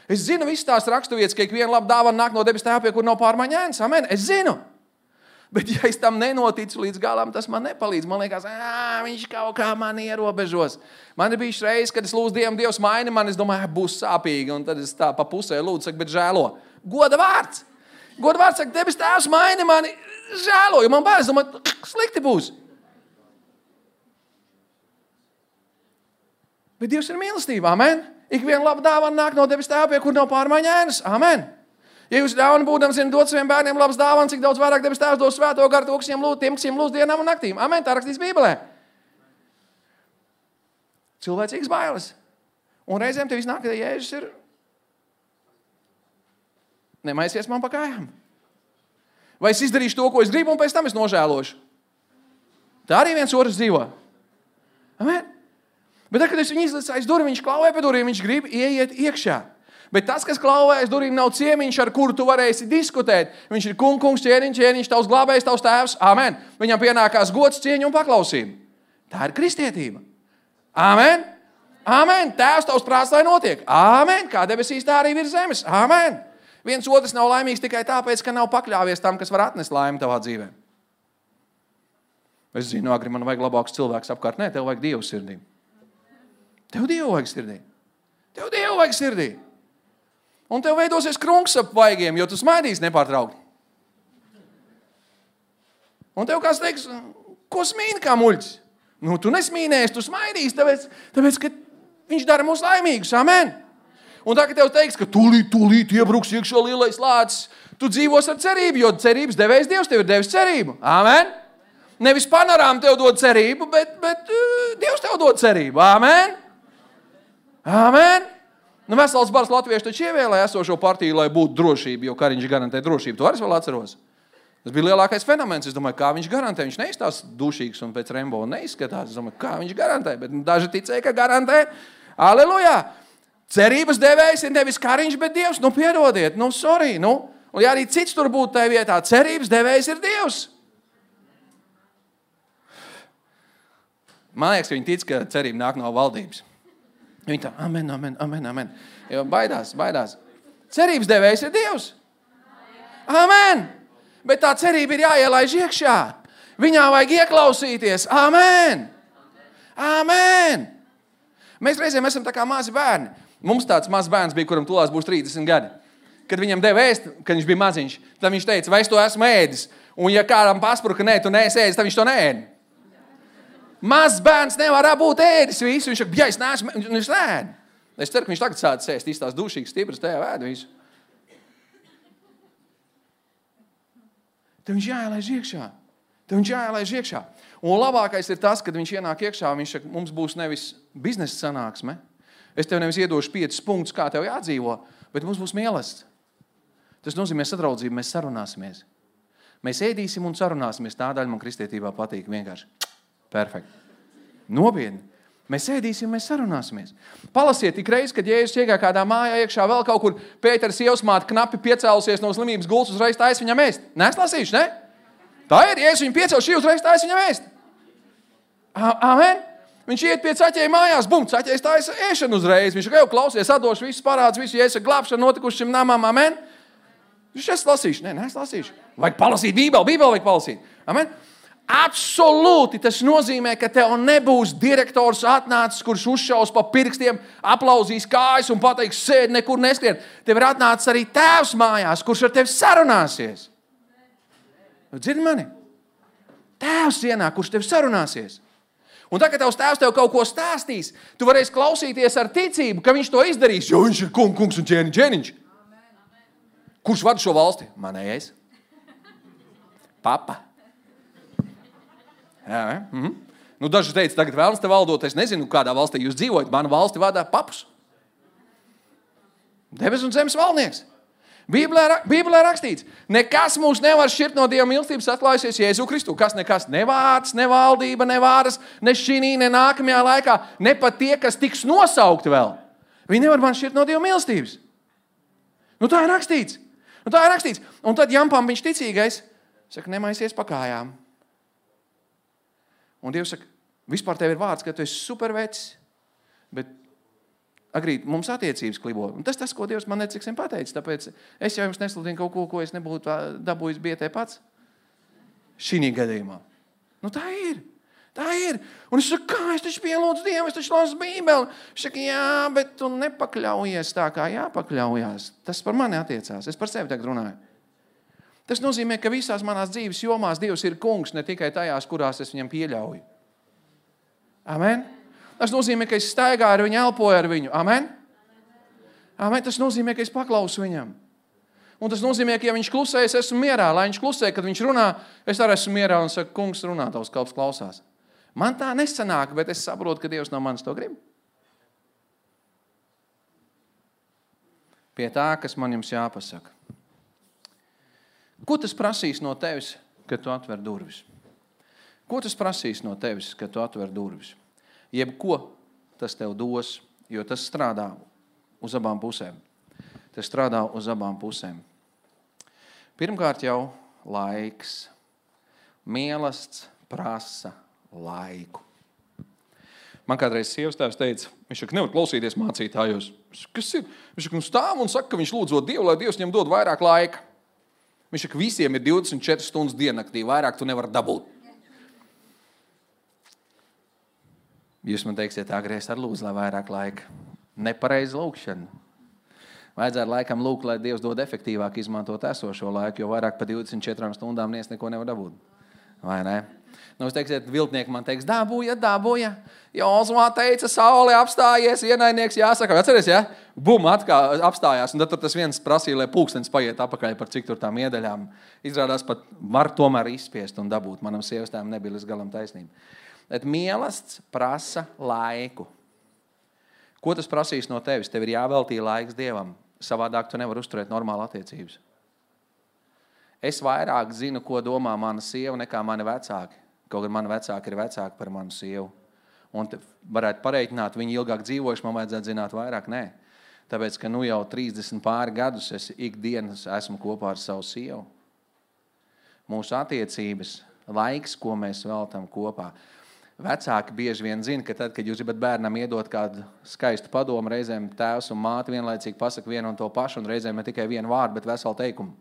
Es zinu visas tās raksturvietas, ka ikviena laba dāvana nāk no debes tēva, pie kur nav pārmaiņa ēnas. Amen. Es zinu. Bet ja es tam nenoticu līdz galam, tas man nepalīdz. Man liekas, ā, viņš kaut kā mani ierobežos. Man ir bijis reizes, kad es lūdzu Dievam, Dievs maini man, es domāju, būs sāpīgi. Un tad es tā pa pusē lūdzu, saka, bet žēlo. Goda vārds. Goda vārds saka, debes tēvs maini mani, žēlo. Jo man bērns, domāju, slikti būs. Bet Dievs ir mīlestība. Amen. Ikviena laba dāvana nāk no debes tēva, pie kur nav pārmaiņa ēnas. Amen. Ja jūs ļauni būdams zināt dot saviem bērniem labas dāvanas, cik daudz vairāk debes tēvs dos svēto garu tiem, tiem, kas viņiem lūdz dienām un naktīm. Amen. Tā rakstīts Bībelē. Cilvēcīgas bailes. Un reizēm tev iznāk, ka Jēzus ir nemaisies man pa kājām. Vai es izdarīšu to, ko es gribu, un pēc tam es nožēlošu. Tā arī viens otrs dzīvo. Amen. Bet tad, kad es viņu izlicu aiz durvīm, viņš klauvē pie durvīm, viņš grib ieiet iekšā. Bet tas, kas klauvē aiz durvīm, nav ciemiņš, ar kuru tu varēsi diskutēt. Viņš ir kungs, kungs, ķēriņš, ķēriņš, tavs glābējs, tavs tēvs. Amen. Viņam pienākās gods, cieņa un paklausība. Tā ir kristietība. Amen. Amen. Tēvs, tavs prāts, lai notiek. Amen. Kā debesīs, tā arī virs zemes. Amen. Viens otrs nav laimīgs tikai tāpēc, ka nav pakļāvies tam, kas var atnest laimi tavā dzīvē. Es zinu, agri man vajag labāks cilvēks apkārt. Nē, tev vajag Dievu sirdī. Tev Dievu vajag sirdī. Tev Dievu vajag sirdī. Un tev veidosies krunks ap vaigiem, jo tu smaidīsi nepārtraukti. Un tev kāds teiks, ko smīni kā muļķis? Nu, tu nesmīnēsi, tu smaidīsi, tāpēc, tāpēc, ka viņš dara mūs laimīgus. Amen. Un tā, ka tev teiks, ka tūlīt, tūlīt iebruks iekšā lielais lācis, tu dzīvos ar cerību, jo cerības devējs Dievs tev ir devis cerību. Amen. Nevis panorām tev dod cerību, bet, bet uh, Dievs tev dod cerību. Amen. Amen. Nu, Vesels bars latvieši taču ievēlēja esošo partiju, lai būtu drošība, jo Kariņš garantē drošību. Tu arī vēl atceros. Tas bija lielākais fenomens. Es domāju, kā viņš garantē. Viņš neizstās dušīgs un pēc Rembo neizskatās. Es domāju, kā viņš garantē. Bet daži ticēja, ka garantē. Aleluja! Cerības devējs ir nevis Kariņš, bet Dievs. Nu, piedodiet. Nu, sorry. Nu, un ja arī cits tur būtu tajā vietā, cerības devējs ir Dievs. Man liekas, ka viņi tic, ka cerība nāk no valdības. Viņi tā, amen, amen, amen, amen. Jo baidās, baidās. Cerības devējs ir Dievs. Amen. Bet tā cerība ir jāielaiž iekšā. Viņā vajag ieklausīties. Amen. Amen. Mēs reizēm esam tā kā mazi bērni. Mums tāds mazs bērns bija, kuram tūlās būs trīsdesmit gadi. Kad viņam deva ēst, kad viņš bija maziņš, tad viņš teica, vai es to esmu ēdis. Un ja kādam paspruka, nē, tu neesi ēdis, tad viņš to neēdi. Mazs bērns nevar būt ēdis visu. Viņš saka, ja es neesmu, viņš neēd. Es ceru, ka viņš tagad sāc ēst, izstās dušīgs, stipras, tajā vēd visu. Te viņš jāielaiž iekšā. Te viņš jāielaiž iekšā. Un labākais ir tas, kad viņš ienāk iekšā, viņš saka, mums būs nevis biznesa sanāksme. Es tev nevis iedošu piecus punktus, kā tev jādzīvo, bet mums būs mīlestība. Tas nozīmē sadraudzību, mēs sarunāsimies. Mēs ēdīsim un sarunāsimies. Tā daļa man kristietībā patīk vienkārši. Perfekti. Nopietni. Mēs ēdīsim, mēs sarunāsimies. Palasiet tik reiz, kad Jēzus iegāja kādā mājā iekšā vēl kaut kur, Pētera sievasmāte knapi piecēlusies no slimības gultas, uzreiz taisa viņam ēst. Neesi lasījuši, ne? Tā ir, Jēzus viņu piecēl, šī uzreiz taisa viņam ēst. Amen. Viņš iet pie caķēja mājās, bum, caķējs taisa ēšanu uzreiz. Viņš jau klausies, atdošu visus parādus, visu Jēzus glābšanu notikuši šim namam, amen. Viņš es lasīšu, ne, neesi lasījuši. Vajag palasīt Bībeli, Bībeli vajag palasīt. Amen. Absolūti tas nozīmē, ka tev nebūs direktors atnācis, kurš uzšaus pa pirkstiem, aplauzīs kājas un pateiks, sēd, nekur neskrien. Tev ir atnācis arī tēvs mājās, kurš ar tevi sarunāsies. Dzirdi mani? Tēvs ienāk, kurš tev sarunāsies. Un tā, kad tavs tēvs tev kaut ko stāstīs, tu varēsi klausīties ar ticību, ka viņš to izdarīs, jo viņš ir kung, kungs un ķēniņš, ķēniņš. Kurš vada šo valsti? Manējais. Papa. Jā, mhm. Nu, daži teica, tagad vēlams te valdot, es nezinu, kādā valstī jūs dzīvojat, manu valsti vadā papus. Debes un zemes valdnieks. Bībelē, Bībelē rakstīts, nekas mūs nevar šķirt no Dieva mīlestības atklājusies Jēzu Kristu. Kas nekas, ne vārds, ne valdība, ne vāras, ne šinī, ne nākamajā laikā, ne pat tie, kas tiks nosaukti vēl. Viņi nevar man šķirt no Dieva mīlestības. Nu tā ir rakstīts. Nu tā ir rakstīts. Un tad Jampam viņš ticīgais saka, nemaisies pa kājām. Un Dievs saka, vispār tev ir vārds, ka tu esi supervecis, bet agrīt mums attiecības klibo. Un tas tas, ko Dievs man neciksim pateicis, tāpēc es jau jums nesludinu kaut ko, ko es nebūtu dabūjis bietē pats. Šī gadījumā. Nu tā ir. Tā ir. Un es saku, kā es taču pielūdzu Dievu, es taču lasu Bībeli. Viņš saka, jā, bet tu nepakļaujies tā, kā jāpakļaujās. Tas par mani attiecās. Es par sevi tagad runāju. Tas nozīmē, ka visās manās dzīves jomās Dievs ir kungs, ne tikai tajās, kurās es viņam pieļauju. Amen? Tas nozīmē, ka es staigāju ar viņu, elpoju ar viņu. Amen? Amen? Tas nozīmē, ka es paklausu viņam. Un tas nozīmē, ka ja viņš klusē, es esmu mierā. Lai viņš klusē, kad viņš runā, es arī esmu mierā un saku, kungs runā, tavs kalps klausās. Man tā nesanāk, bet es saprotu, ka Dievs no manis to grib. Pie tā, kas man jums jāpasaka. Ko tas prasīs no tevis, kad tu atver durvis? Ko tas prasīs no tevis, kad tu atver durvis? Jebko tas tev dos, jo tas strādā uz abām pusēm. Tas strādā uz abām pusēm. Pirmkārt jau laiks. Mīlestība prasa laiku. Man kādreiz sievas tēvs teica, viņš saka, nevar klausīties mācītājos. Kas ir? Viņš saka, nu stāv un saka, ka viņš lūdzot Dievu, lai Dievs viņam dod vairāk laika. Viņš saka, visiem ir divdesmit četras stundas diennaktī, vairāk tu nevar dabūt. Jūs man teiksiet, agries ar lūdzu, lai vairāk laika. Nepareizi lūkšana. Vajadzētu laikam lūgt, lai Dievs dod efektīvāk izmantot esošo laiku, jo vairāk pa divdesmit četrām stundām nies neko nevar dabūt. Vai ne? Nu, jūs teiksiet, viltnieki man teiks, dabūja, dabūja. Jozumā teica, saule apstājies, ienaidnieks jāsaka. Atceries, ja? Bum, atkal apstājās. Un tad tas viens prasīja, lai pulkstenis paiet apakaļ par cik tur tām iedaļām. Izrādās pat var tomēr izspiest un dabūt. Manam sievastām nebija līdz galam taisnība. Bet mīlestība prasa laiku. Ko tas prasīs no tevis? Tev ir jāveltī laiks Dievam. Savādāk tu nevar uzturēt normālu attiecības. Es vairāk zinu, ko domā mana sieva, nekā mani vecāki. Kaut gan mani vecāki ir vecāki par manu sievu. Un varētu pareiķināt, viņi ilgāk dzīvojuši, man vajadzētu zināt vairāk. Nē. Tāpēc, ka nu jau trīsdesmit pāri gadus es ikdienas esmu kopā ar savu sievu. Mūsu attiecības, laiks, ko mēs veltam kopā. Vecāki bieži vien zina, ka tad, kad jūs gribat bērnam iedot kādu skaistu padomu, reizēm tēvs un māte vienlaicīgi pasaka vienu un to pašu, un reizēm ne tikai vienu vārdu, bet veselu teikumu.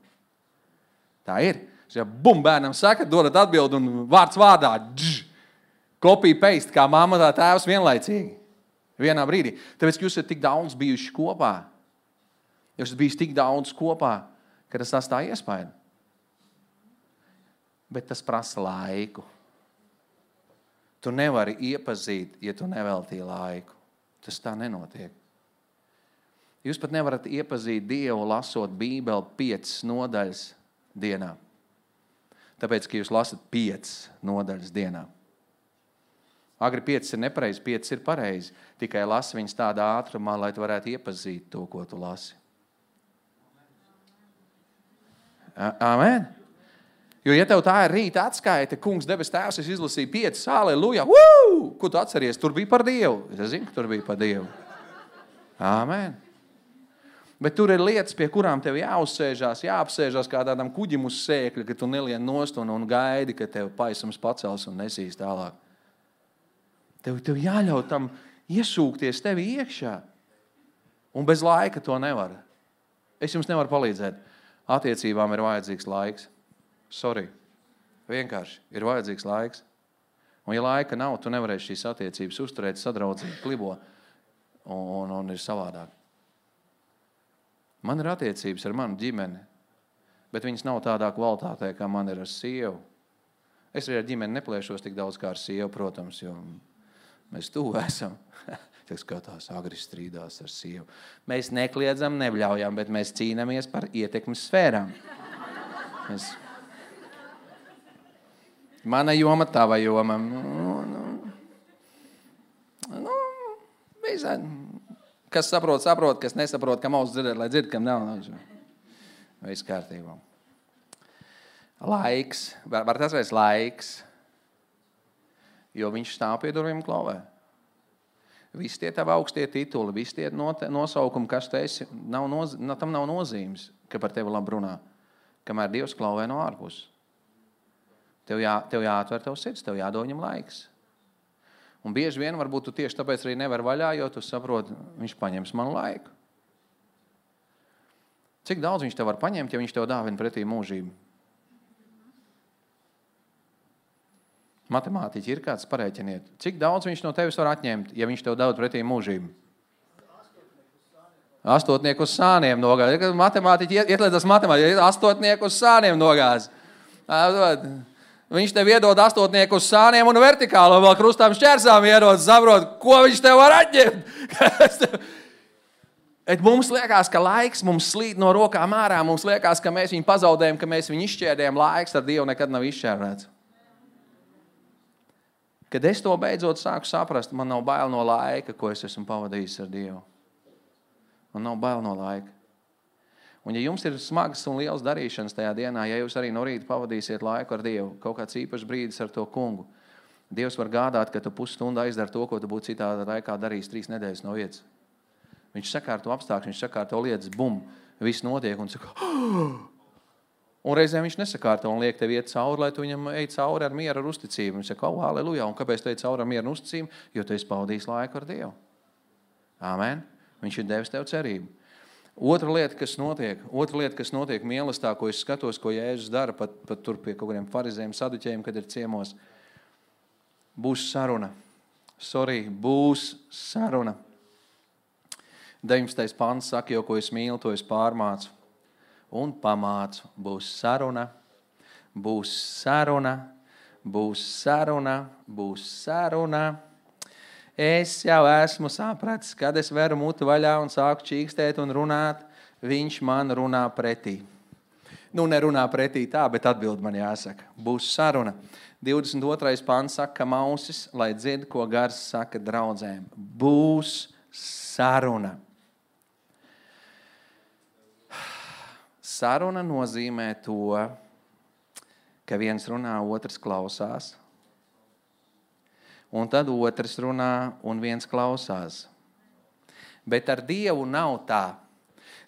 Tā ir. Ja bum, bērnam saka, dodat atbildi un vārds vārdā. Dž, kopija paste, kā mamma tā tēvs vienlaicīgi. Vienā brīdī. Tāpēc, ka jūs esat tik daudz bijuši kopā. Jūs esat bijis tik daudz kopā, ka tas tas tā iespēja. Bet tas prasa laiku. Tu nevari iepazīt, ja tu neveltīji laiku. Tas tā nenotiek. Jūs pat nevarat iepazīt Dievu, lasot Bībeli piecas nodaļas dienā. Tāpēc, ka jūs lasat piecas nodaļas dienā. Agri piecas ir nepareizi, piecas ir pareizi. Tikai lasi viņas tādā ātrumā, lai tu varētu iepazīt to, ko tu lasi. Amen. Jo, ja tev tā ir rīta atskaita, kungs debes tēvs, es izlasīju piecas, aleluja, wuu! Ko tu atceries? Tur bija par Dievu. Es zinu, ka tur bija par Dievu. Amen. Bet tur ir lietas, pie kurām tev jāuzsēžās, jāapsēžās kā tādam kuģim uz sēkļa, ka tu nelien nost un, un gaidi, ka tev paisums pacels un nesīs tālāk. Tev, tev jāļauj tam iesūkties tevi iekšā. Un bez laika to nevar. Es jums nevaru palīdzēt. Attiecībām ir vajadzīgs laiks. Sorry. Vienkārši ir vajadzīgs laiks. Un ja laika nav, tu nevarēsi šīs attiecības uzturēt, sadraudzīt, klibo. Un, un, un ir savādāk. Man ir attiecības ar manu ģimeni, bet viņas nav tādā kvalitātē, kā man ir ar sievu. Es arī ar ģimeni neplēšos tik daudz kā ar sievu, protams, jo mēs tuvu esam. Tiek skatās, agri strīdās ar sievu. Mēs nekliedzam, nebļaujam, bet mēs cīnāmies par ietekmes sfērām. Mēs... Mana joma, tava joma. Nu, nu, nu, visā... Kas saprot, saprot, kas nesaprot, kam auss dzirdēt, lai dzird, kam nav. Viss kārtībā. Laiks, var, var tas vairs laiks, jo viņš stāv pie durvīm klauvē. Visi tie tavi augstie tituli, visi tie nosaukumi, kas tu esi, nav noz, tam nav nozīmes, ka par tevi labi runā, kamēr Dievs klauvē no ārpus. Tev, jā, tev jāatver tev sirds, tev jādod viņam laiks. Un bieži vien, varbūt tu tieši tāpēc arī nevar vaļā, jo tu saproti, viņš paņems manu laiku. Cik daudz viņš tev var paņemt, ja viņš tev dāvina pretī mūžību? Matemātiķi ir kāds parēķiniet. Cik daudz viņš no tevis var atņemt, ja viņš tev dod pretī mūžību? Astotnieku uz sāniem nogāz. Matemātiķi ietlēdzas matemātiķi, astotnieku uz sāniem nogāz. Viņš tev iedod astotnieku uz sāniem un vertikāli, un vēl krustām šķērsām iedod, saprot, ko viņš tev var atņemt. Et mums liekas, ka laiks mums slīd no rokām ārā, mums liekas, ka mēs viņu pazaudējam, ka mēs viņu izšķērdējam, laiks ar Dievu nekad nav izšķērdēts. Kad es to beidzot sāku saprast, man nav bail no laika, ko es esmu pavadījis ar Dievu. Man nav bail no laika. Un ja jums ir smagas un liels darīšanas tajā dienā, ja jūs arī no rīta pavadīsiet laiku ar Dievu, kaut kāds īpašs brīdis ar to kungu, Dievs var gādāt, ka tu pusstundu aizdari to, ko tu būtu citādā laikā darījis trīs nedēļas no vietas. Viņš sakārto apstākļus, viņš sakārto lietas, bum, viss notiek un saka, oh! Un reizēm viņš nesakārto un liek tev iet cauri, lai tu viņam ej cauri ar mieru, ar uzticību. Viņš saka, oh, halleluja, un kāpēc tu ej cauri ar mieru un uzticību? Jo tu esi pavadījis laiku ar Dievu. Āmen. Viņš ir devis tev cerību. Otra lieta, kas notiek, otra lieta, kas notiek mīlestā, ko es skatos, ko Jēzus dara, pat, pat tur pie kaut kādiem farizējiem, saduķējiem, kad ir ciemos, būs saruna. Sorry, būs saruna. deviņpadsmitais pants saka, jo ko es mīlu, to es pārmācu un pamācu. Būs saruna, būs saruna, būs saruna, būs saruna. Es jau esmu sapratis, kad es veru mutu vaļā un sāku čīkstēt un runāt, viņš man runā pretī. Nu, nerunā pretī tā, bet atbild man jāsaka. Būs saruna. divdesmit otrais pants saka mausis, lai dzird, ko gars saka draudzēm. Būs saruna. Saruna nozīmē to, ka viens runā, otrs klausās. Un tad otrs runā un viens klausās. Bet ar Dievu nav tā.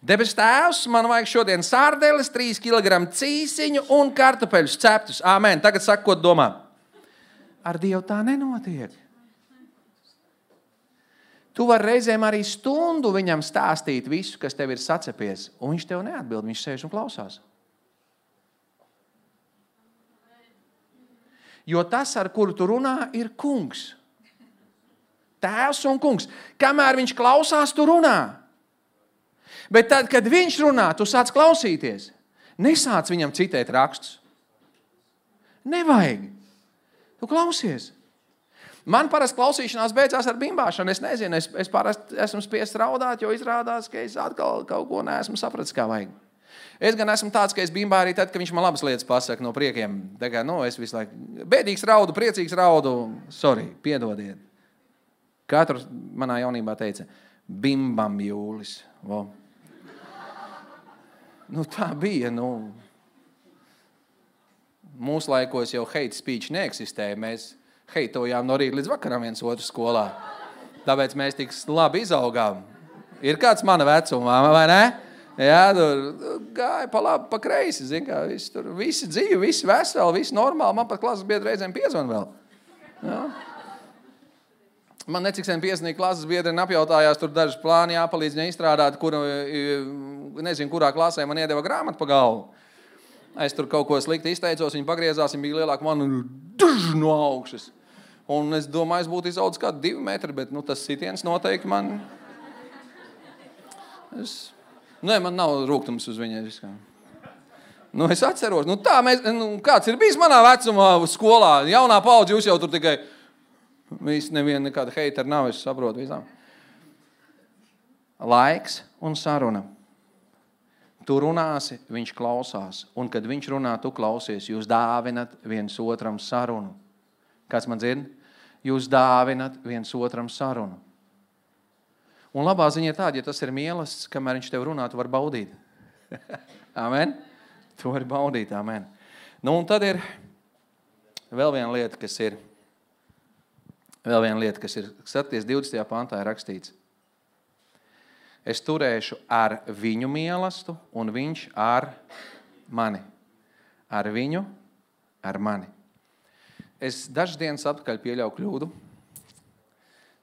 Debes tēvs, man vajag šodien sārdeles, trīs kilogrami cīsiņu un kartupeļus ceptus. Āmen. Tagad saka, ko domā. Ar Dievu tā nenotiek. Tu vari reizēm arī stundu viņam stāstīt visu, kas tev ir sacepies, un viņš tev neatbild, viņš sēž un klausās. Jo tas, ar kuru tu runā, ir kungs. Tēvs un kungs. Kamēr viņš klausās, tu runā. Bet tad, kad viņš runā, tu sāc klausīties. Nesāc viņam citēt rakstus. Nevajag. Tu klausies. Man parasti klausīšanās beidzās ar bimbāšanu. Es nezinu, es, es parasti esmu spiests raudāt, jo izrādās, ka es atkal kaut ko neesmu sapratis, kā vajag. Es gan esmu tāds, ka es bimbā arī tad, ka viņš man labas lietas pasaka no priekiem. Tā kā, nu, es visu laiku bēdīgs raudu, priecīgs raudu. Sorry, piedodiet. Katrs manā jaunībā teica, bimbam jūlis. Vo. Nu, tā bija, nu. Mūsu laikos jau hate speech neeksistēja. Mēs heitojām no rīta līdz vakaram viens otru skolā. Tāpēc mēs tik labi izaugām. Ir kāds mana vecuma, vai ne? Jā, tur gāja pa labi, pa kreisi, zin kā, visi tur, visi dzīvi, visi veseli, visi normāli. Man pat klases biedri reizēm piezvan vēl. Jā. Man necik sen piesnīgi klases biedri apjautājās, tur dažas plāni jāpalīdz viņai izstrādāt, kuru, nezinu, kurā klasē man iedeva grāmatu pa galvu. Es tur kaut ko slikti izteicos, viņi pagriezās, viņi bija lielāka man duž no augšas. Un es domāju, es būtu izaudzis kādu divi metri, bet nu, tas sitiens noteikti man... Es... Nē, man nav rūgtums uz viņai. Nu, es atceros, nu tā mēs, nu, kāds ir bijis manā vecumā skolā, jaunā paudze, jūs jau tur tikai, visi neviena nekāda heitera nav, es saprotu visām. Laiks un saruna. Tu runāsi, viņš klausās, un kad viņš runā, tu klausies, jūs dāvinat viens otram sarunu. Kāds man dzird? Jūs dāvinat viens otram sarunu. Un labā ziņa ir tāda, ja tas ir mīlestības, kamēr viņš tev runā, tu vari baudīt. Amen? Tu vari baudīt, amen. Nu, un tad ir vēl viena lieta, kas ir, vēl viena lieta, kas ir, skaties, divdesmitajā pantā ir rakstīts. Es turēšu ar viņu mīlestību, un viņš ar mani. Ar viņu, ar mani. Es dažas dienas atpakaļ pieļauju kļūdu.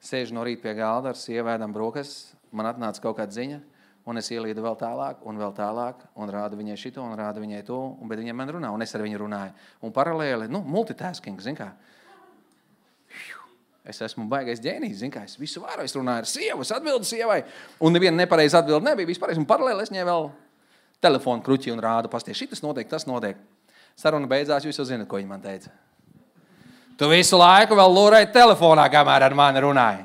Sēžu no rīta pie galda ar sievēdam brokas, man atnāca kaut kāda ziņa, un es ielīdu vēl tālāk, un vēl tālāk, un rādu viņai šito, un rādu viņai to, un bet viņai man runā, un es ar viņu runāju. Un paralēli, nu, multitasking, zin kā. Es esmu baigais ģēnijs, zin kā, es visu varu, es runāju ar sievu, es atbildu sievai, un neviena nepareiza atbildi nebija, viss pareizi, un paralēli es viņai vēl telefonu kruķi un rādu, pasties, šitas notiek, tas notiek. Saruna beidzās, jūs jau zinat, ko viņa man teica. Tu visu laiku vēl lūrēji telefonā, kamēr ar mani runāji.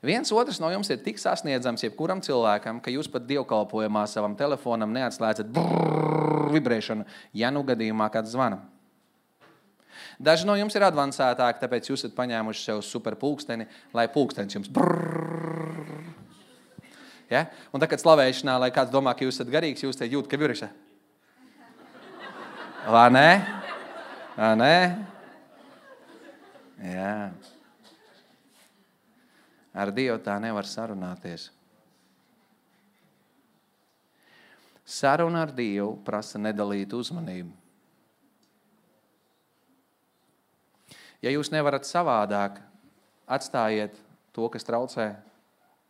Viens otrs no jums ir tik sasniedzams jebkuram cilvēkam, ka jūs pat dievkalpojumā savam telefonam neatslēdzat brrrr vibrēšanu, ja nu gadījumā kāds zvana. Daži no jums ir advancētāki, tāpēc jūs esat paņēmuši sev super pulksteni, lai pulkstenis jums brrrr. Ja? Un tā, kad slavēšanā, lai kāds domā, ka jūs esat garīgs, jūs te jūt, ka virša. Vai ne? Vai ne? Jā. Ar Dievu tā nevar sarunāties. Saruna ar Dievu prasa nedalīt uzmanību. Ja jūs nevarat savādāk, atstājiet to, kas traucē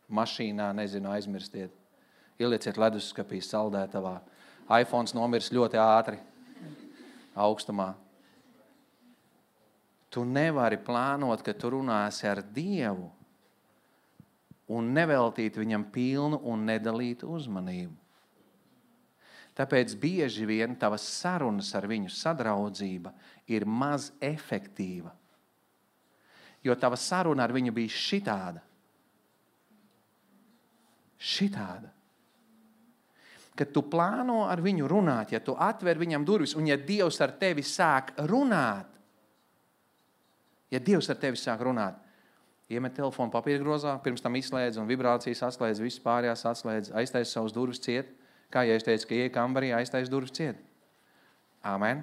mašīnā, nezinu, aizmirstiet. Ielieciet leduskapī saldētavā. iPhones nomirs ļoti ātri, augstumā. Tu nevari plānot, ka tu runāsi ar Dievu un neveltīt viņam pilnu un nedalītu uzmanību. Tāpēc bieži vien tavas sarunas ar viņu sadraudzība ir maz efektīva. Jo tava saruna ar viņu bija šitāda. Šitāda. Kad tu plāno ar viņu runāt, ja tu atver viņam durvis, un ja Dievs ar tevi sāk runāt, ja Dievs ar tevi sāk runāt, iemet telefonu papīra grozā, pirms tam izslēdz un vibrācijas atslēdz, viss pārējās atslēdz, aiztais savus durvis ciet. Kā ja es teicu, ka ieej kambarī, aiztais durvis ciet. Amen.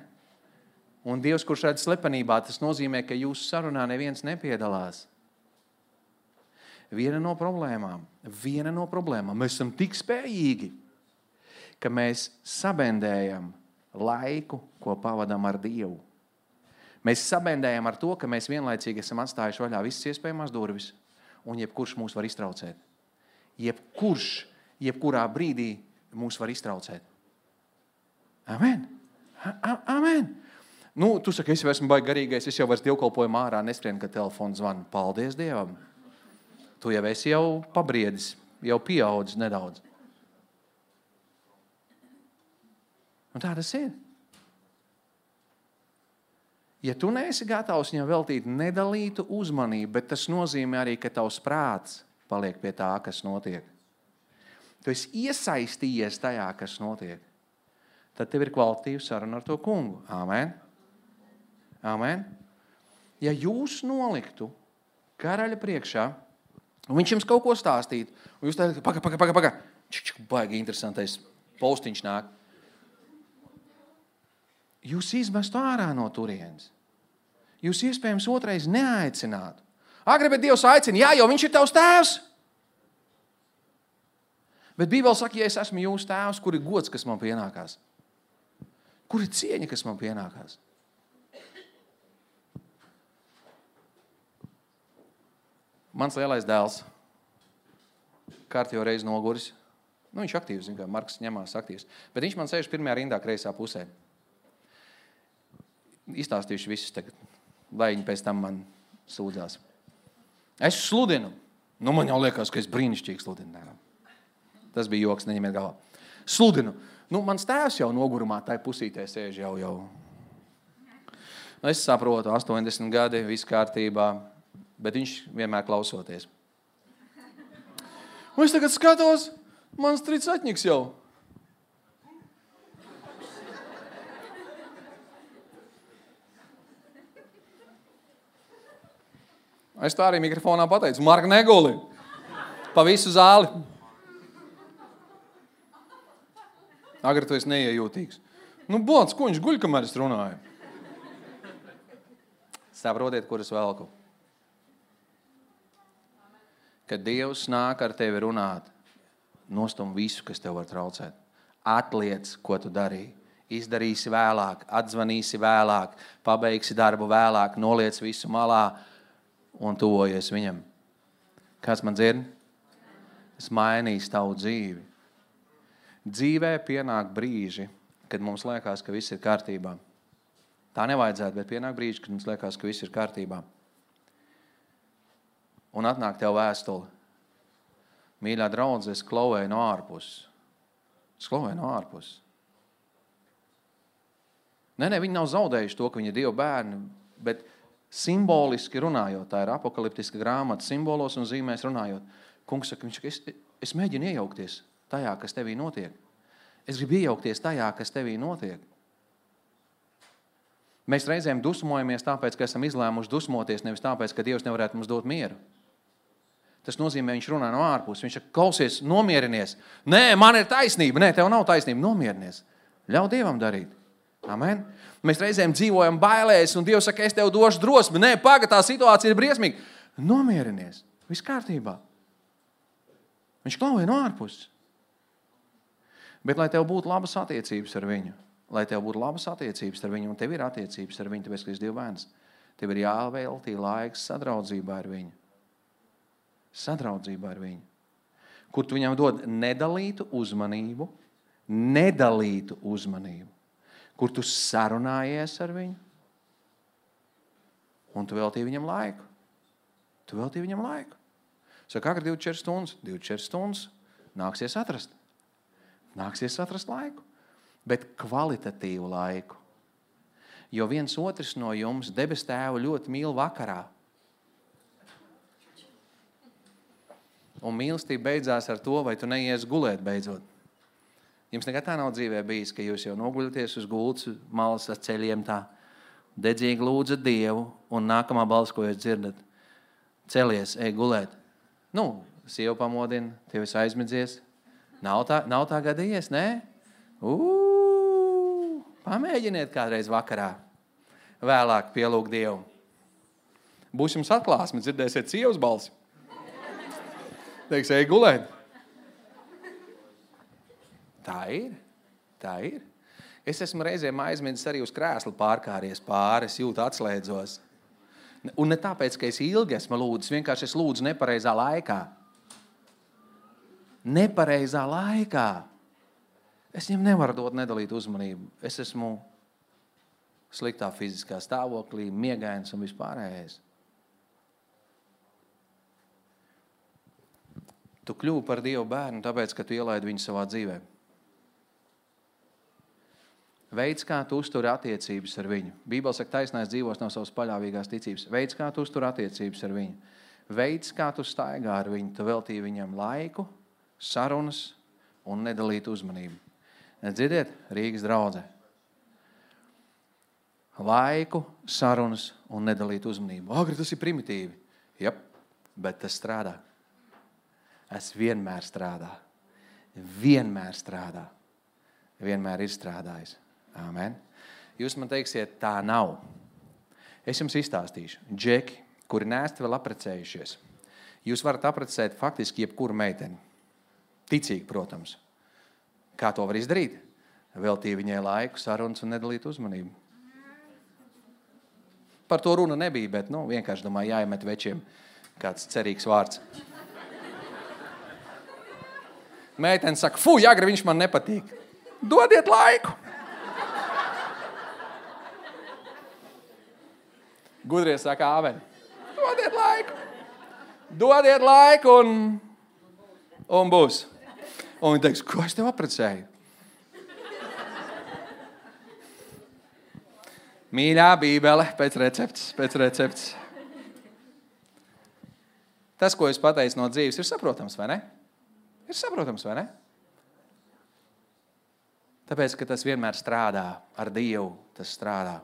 Un Dievs, kurš redz slepenībā, tas nozīmē, ka jūsu sarunā neviens nepiedalās. Viena no problēmām, viena no problēmām, mēs esam tik spējīgi, ka mēs sabendējam laiku, ko pavadam ar Dievu. Mēs sabendējam ar to, ka mēs vienlaicīgi esam atstājuši vaļā visas iespējamās durvis, un jebkurš mūs var iztraucēt. Jebkurš, jebkurā brīdī mūs var iztraucēt. Amen. A- Amen. Nu, tu saki, es jau esmu baigi garīgais, es jau vairs dievkalpojumu ārā neskrienu, kad telefons zvana. Paldies Dievam. Tu jau esi jau pabriedis, jau pieaudzis nedaudz. Un tā tas ir. Ja tu neesi gatavs viņam veltīt nedalītu uzmanību, bet tas nozīmē arī, ka tavs prāts paliek pie tā, kas notiek. Tu esi iesaistījies tajā, kas notiek. Tad tev ir kvalitīva saruna ar to kungu. Amen. Amen. Ja jūs noliktu karaļa priekšā, un viņš jums kaut ko stāstītu, un jūs teikt, paga, paga, paga, paga, čik, čik, baigi interesantais postiņš nāk. Jūs izmestu ārā no turienes. Jūs iespējams otrais neaicinātu. Agri, bet Dievs aicina, jā, jo viņš ir tavs tēvs. Bet Bībele saka, ja es esmu jūsu tēvs, kur ir gods, kas man pienākās? Kur ir cieņa, kas man pienākās? Mans lielais dēls, kārtīgi reiz noguris. Nu, viņš aktīvs, zin kā, Marks ņemās aktīvs. Bet viņš man sēž pirmajā rindā kreisā pusē. Izstāstīšu visus tagad, lai viņi pēc tam man sūdzās. Es sludinu. Nu, man jau liekas, ka es brīnišķīgi sludinu. Tas bija joks, neņemiet galvā. Sludinu. Nu, mans tēvs jau nogurumā tai pusītē sēž jau jau. Nu, es saprotu, astoņdesmit gadi, viss kārtībā, bet viņš vienmēr klausoties. Un es tagad skatos, mans tricatņiks jau. Es tā arī mikrofonā pateicu, Marka neguli, pa visu zāli. Agri, tu esi neiejūtīgs. Nu, bots, ko viņš guļ, kamēr es runāju? Saprotiet, kur es velku. Kad Dievs nāk ar tevi runāt, nostum visu, kas tev var traucēt. Atliec, ko tu darīji. Izdarīsi vēlāk, atzvanīsi vēlāk, pabeigsi darbu vēlāk, noliec visu malā un tuvojies viņam. Kāds man dzird? Es mainīšu tavu dzīvi. Dzīvē pienāk brīži, kad mums liekas, ka viss ir kārtībā. Tā nevajadzētu, bet pienāk brīži, kad mums liekas, ka viss ir kārtībā. Un atnāk tev vēstuli. Mīļā draudze, es klauvēju no ārpuses. Es klauvēju no ārpuses. Nē, nē, viņi nav zaudējuši to, ka viņi ir Dieva bērni, bet simboliski runājot, tā ir apokaliptiska grāmata, simbolos un zīmēs runājot. Kungs saka, viņš saka, es, es mēģinu iejaukties tajā, kas tevī notiek. Es gribu iejaukties tajā, kas tevī notiek. Mēs reizēm dusmojamies tāpēc, ka esam izlēmuši dusmoties, nevis tāpēc, ka Dievs nevarētu mums dot mieru. Tas nozīmē, viņš runā no ārpus. Viņš saka, klausies, nomierinies. Nē, man ir taisnība. Nē, tev nav taisnība. Nomierinies. Ļauj Dievam darīt. Amen. Mēs reizēm dzīvojam bailēs, un Dievs saka, es tev došu drosmi. Nē, paga, tā situācija ir briesmīga. Nomierinies. Viss kārtībā. Viņš klauvēja no ārpuses. Bet, lai tev būtu labas attiecības ar viņu, lai tev būtu labas attiecības ar viņu, un tev ir attiecības ar viņu, tāpēc, ka esi Dieva bērns, tev ir jāveltī laiks sadraudzībā ar viņu. Sadraudzībā ar viņu. Kur tu viņam dod nedalītu uzmanību, nedalītu uzmanību. Kur tu sarunājies ar viņu, un tu veltīji viņam laiku. Tu veltīji viņam laiku. Saka, kā divdesmit četras stundas? divdesmit četras stundas nāksies atrast. Nāksies atrast laiku, bet kvalitatīvu laiku. Jo viens otrs no jums debes tēvu ļoti mīl vakarā. Un mīlestība beidzās ar to, vai tu neies gulēt beidzot. Jums nekad tā nav dzīvē bijis, ka jūs jau noguļaties uz gultas malas ar ceļiem tā, dedzīgi lūdzat Dievu, un nākamā balss, ko jūs dzirdat, celies, ej gulēt. Nu, sieva pamodina, tev esi aizmidzies. Nav tā, nav tā gadījies, ne? Ū, pamēģiniet kādreiz vakarā. Vēlāk pielūgt Dievu. Būs jums atklāsme, dzirdēsiet sievas balsi. Teiks, ej gulēt. Tā ir, tā ir. Es esmu reizēm aizmirsis arī uz krēslu pārkāries pāri, es jūtu atslēdzos. Un ne tāpēc, ka es ilgi esmu lūdzis, vienkārši es lūdzu nepareizā laikā. Nepareizā laikā. Es viņam nevaru dot nedalīt uzmanību. Es esmu sliktā fiziskā stāvoklī, miegains un vispārējais. Tu kļuvi par Dievu bērnu, tāpēc, ka tu ielaidi viņu savā dzīvē. Veids, kā tu uzturi attiecības ar viņu. Bībele saka, taisnais dzīvos no savas paļāvīgās ticības. Veids, kā tu uzturi attiecības ar viņu. Veids, kā tu staigā ar viņu. Tu veltīji viņam laiku, sarunas un nedalīt uzmanību. Dzirdiet, Rīgas draudze. Laiku, sarunas un nedalīt uzmanību. Agri, tas ir primitīvi. Jep, bet tas strādā. Es vienmēr strādā. Vienmēr strādā. Vienmēr ir strādājis. Amen. Jūs man teiksiet, tā nav. Es jums izstāstīšu. Džeki, kuri neesat vēl aprecējušies, jūs varat aprecēt faktiski jebkuru meiteni. Ticīgi, protams. Kā to var izdarīt? Veltīt viņai laiku, sarunas un nedalīt uzmanību. Par to runa nebija, bet nu, vienkārši domāju, jāiemet večiem kāds cerīgs vārds. Meitene saka, fu, Agri, viņš man nepatīk. Dodiet laiku. Gudrie saka, āmen. Dodiet laiku. Dodiet laiku un, un būs. Un viņi teiks, ko es tev aprecēju? Mīļā Bībele, pēc recepts, pēc recepts. Tas, ko es pateicu no dzīves, ir saprotams, vai ne? Ir saprotams, vai ne? Tāpēc, ka tas vienmēr strādā ar Dievu, tas strādā.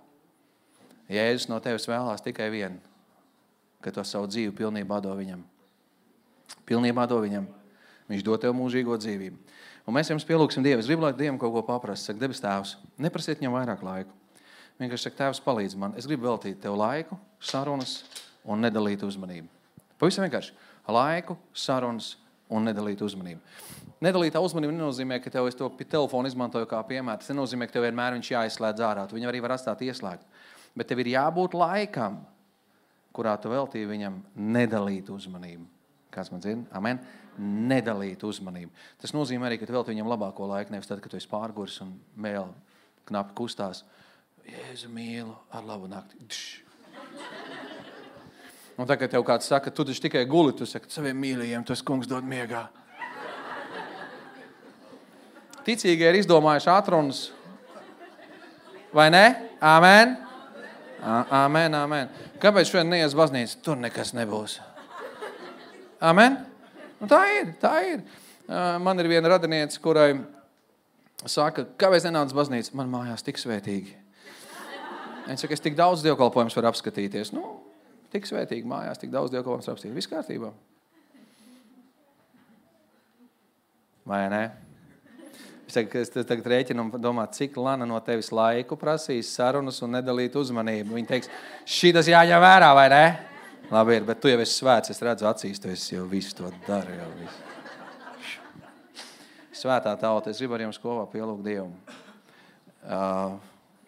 Jēzus no tevis vēlās tikai vienu, ka tu savu dzīvi pilnībā do viņam. Pilnībā do viņam. Viņš dod tev mūžīgo dzīvību. Un mēs jums pielūksim Dievu. Es gribu, lai Dievam kaut ko paprast. Saka, debes tēvs, neprasiet viņam vairāk laiku. Vienkārši saka, tēvs, palīdz man. Es gribu veltīt tev laiku, sarunas un nedalīt uzmanību. Pavisam vienkārši. Laiku, sarunas un nedalīt uzmanību. Nedalītā uzmanība nenozīmē, ka tev es to telefonu izmantoju kā piemēru. Tas nenozīmē, ka tev vienmēr viņš jāizslēdz ārā. Tu viņu arī var atstāt ieslēgt. Bet tev ir jābūt laikam, kurā tu veltīji viņam nedalīt uzmanību. Kāds man dzird? Amen. Nedalīt uzmanību. Tas nozīmē arī, ka tu veltīji viņam labāko laiku, nevis tad, kad tu esi pārguris un mēl knapi kustās. Jēzu mīlu, ar labu nakti. Dš. Un tā, kad tev kāds saka, tu taču tikai guli, tu saki, saviem mīļajiem, tu esi kungs dod miegā. Ticīgie ir izdomājuši atrunas. Vai ne? Amen? Amen, amen. Kāpēc šodien neies baznīca? Tur nekas nebūs. Amen? Un tā ir, tā ir. Man ir viena radiniece, kurai saka, kāpēc nenāc baznīca? Man mājās tik svētīgi. Viņa saka, es tik daudz dievkalpojums varu apskatīties. Nu, tik svētīgi mājās, tik daudz dievkalpojums varu apskatīties. Viss kārtībā. Vai ne? Es tagad, es tagad rēķinu un domā, cik Lana no tevis laiku prasīs sarunas un nedalīt uzmanību. Viņa teiks, šitas jāņem vērā, vai ne? Labi ir, bet tu jau esi svēts, es redzu acīs, tu esi jau visu to dari. Jau visu. Svētā tauta, es gribu ar jums kopā pielūgt Dievu. Uh,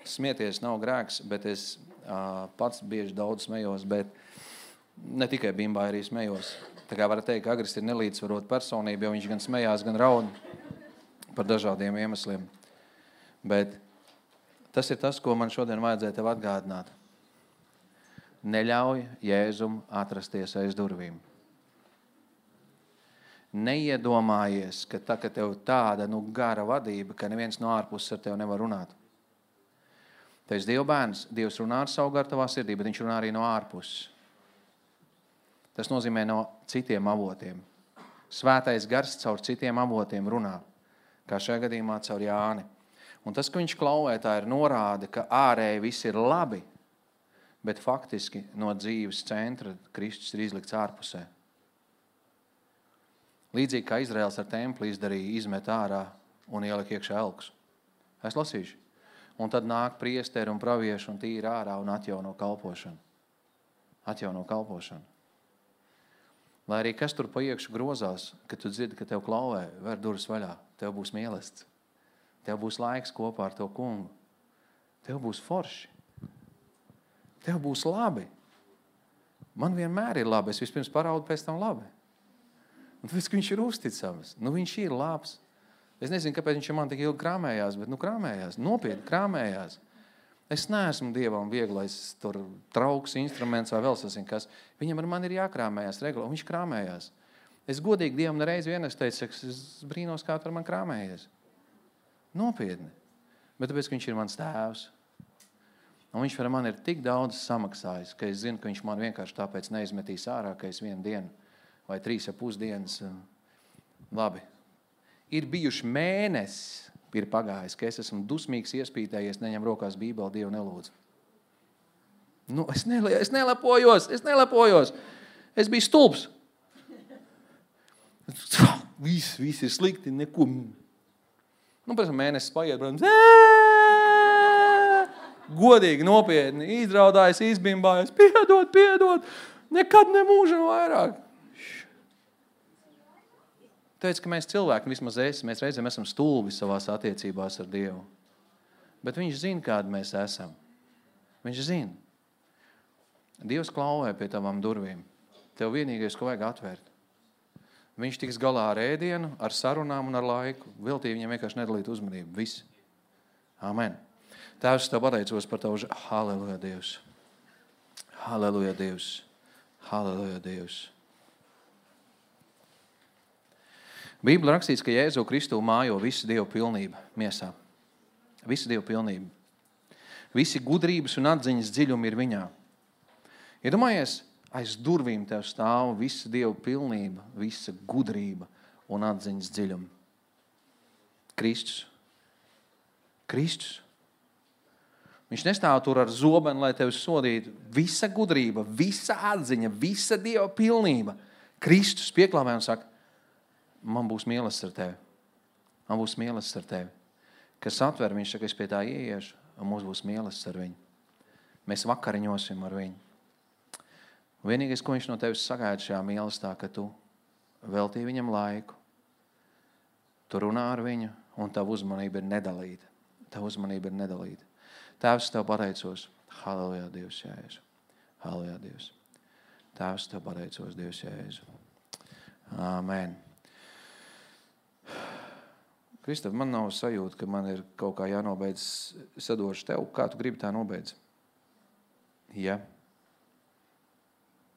smieties nav grēks, bet es uh, pats bieži daudz smejos, bet ne tikai bimbā arī smejos. Tā kā var teikt, ka Agris ir nelīdzsvarot personība, jo viņš gan smejās, gan raud par dažādiem iemesliem. Bet tas ir tas, ko man šodien vajadzēja tev atgādināt. Neļauj Jēzum atrasties aiz durvīm. Neiedomājies, ka tā, ka tev tāda nu, gara vadība, ka neviens no ārpuses ar tevi nevar runāt. Tu esi Dieva bērns, Dievs runā ar savu garu tavā sirdī, bet viņš runā arī no ārpuses. Tas nozīmē no citiem avotiem. Svētais gars caur citiem avotiem runā. Kā šajā gadījumā caur Jāni. Un tas, ka viņš klauvē, tā ir norāde, ka ārēji viss ir labi, bet faktiski no dzīves centra Kristus ir izlikts ārpusē. Līdzīgi kā Izraels ar templi izdarīja, izmet ārā un ielika iekšā elkus. Es lasīšu. Un tad nāk priesteri un pravieši un tīri ārā un atjauno kalpošanu. Atjauno kalpošanu. Lai arī kas tur pa iekšu grozās, kad tu dzirdi, ka tev klauvē, ver durvis vaļā. Tev būs mīlestība. Tev būs laiks kopā ar to kungu. Tev būs forši. Tev būs labi. Man vienmēr ir labi. Es vispirms paraudu, pēc tam labi. Un tāpēc, ka viņš ir uzticams. Nu, viņš ir labs. Es nezinu, kāpēc viņš man tik ilgi krāmējās, bet nu krāmējās. Nopietni krāmējās. Es neesmu Dievam vieglais tur trauks, instruments vai vēl sasien kas. Viņam ar mani ir jākrāmējās regulāri. Viņš krāmējās. Es godīgi Dievam nereiz vien es teicu, es brīnos, kā tu ar mani krāmējies. Nopietni. Bet tāpēc, ka viņš ir mans tēvs. Un viņš par mani ir tik daudz samaksājis, ka es zinu, ka viņš man vienkārši tāpēc neizmetīs ārā, ka es vienu dienu vai trīs ar pusdienas. Labi. Ir bijuši mēnesis, ir pagājis, ka es esmu dusmīgs, iespītējies, neņem rokās Bībeli, Dievu nelūdzu. Nu, es, nele, es nelepojos, es nelepojos. Es biju stulbs. Viss, viss ir slikti, neko. Nu, pēc mēnesis paiet, protams, godīgi, nopietni, izraudājas, izbimbājas, piedod, piedod, nekad nemūžam vairāk. Teic, ka mēs cilvēki, vismaz es, mēs reizēm esam stulbi savās attiecībās ar Dievu. Bet viņš zina, kādi mēs esam. Viņš zina. Dievs klauvē pie tavām durvīm. Tev vienīgais, ko vajag atvērt. Viņš tiks galā ar ēdienu, ar sarunām un ar laiku. Veltīja viņam vienkārši nedalīt uzmanību. Viss. Amen. Tēvs, tev pateicos par tavu. Halleluja, Dievs. Halleluja, Dievs. Halleluja, Dievs. Bībelē rakstīts, ka Jēzu Kristu mājo visu Dievu pilnību miesā. Visu Dievu pilnību. Visi gudrības un atziņas dziļumi ir viņā. Iedomājies, aiz durvīm tev stāv visa Dieva pilnība, visa gudrība un atziņas dziļumi. Kristus. Kristus. Viņš nestāv tur ar zobenu, lai tevi sodītu. Visa gudrība, visa atziņa, visa Dieva pilnība. Kristus pieklāmē un saka, man būs mīlestība ar tevi. Man būs mīlestība ar tevi. Kas atver, viņš saka, es pie tā ieiešu, un mums būs mīlestība ar viņu. Mēs vakariņosim ar viņu. Vienīgais, ko viņš no tevis sagaida šajā mīlestībā, ka tu veltīji viņam laiku, tu runā ar viņu, un tava uzmanība ir nedalīta. Tava uzmanība ir nedalīta. Tēvs, tev pateicos. Halleluja, Dievs, Jēzu. Halleluja, Dievs. Tēvs, tev pateicos, Dievs, Jēzu. Amen. Kristof, man nav sajūta, ka man ir kaut kā jānobeidz sadošu tev. Kā tu gribi tā nobeidz? Ja?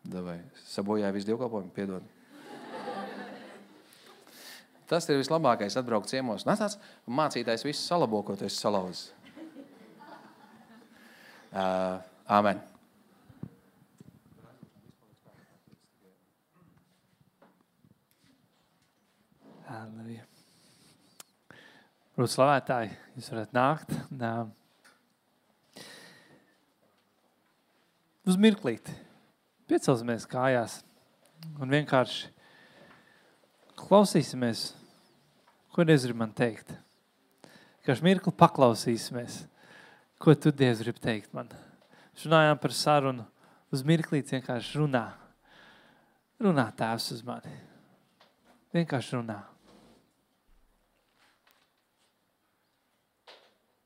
Davai. Sabojāja visu dievkalpojumu, piedod. Tas ir vislabākais atbraukt ciemos. Nāc, mācītājs visu salabo, ko tu esi salauzis. Uh, amen. Halleluja. Brūs slavētāji, jūs varat nākt. Nā. Uz mirklīti. Piecelsimies kājās un vienkārši klausīsimies, ko Dievs grib man teikt. Vienkārši mirkli paklausīsimies, ko tu, Dievs, grib teikt man. Runājām par sarunu, uz mirklīti vienkārši runā. Runā Tēvs uz mani. Vienkārši runā.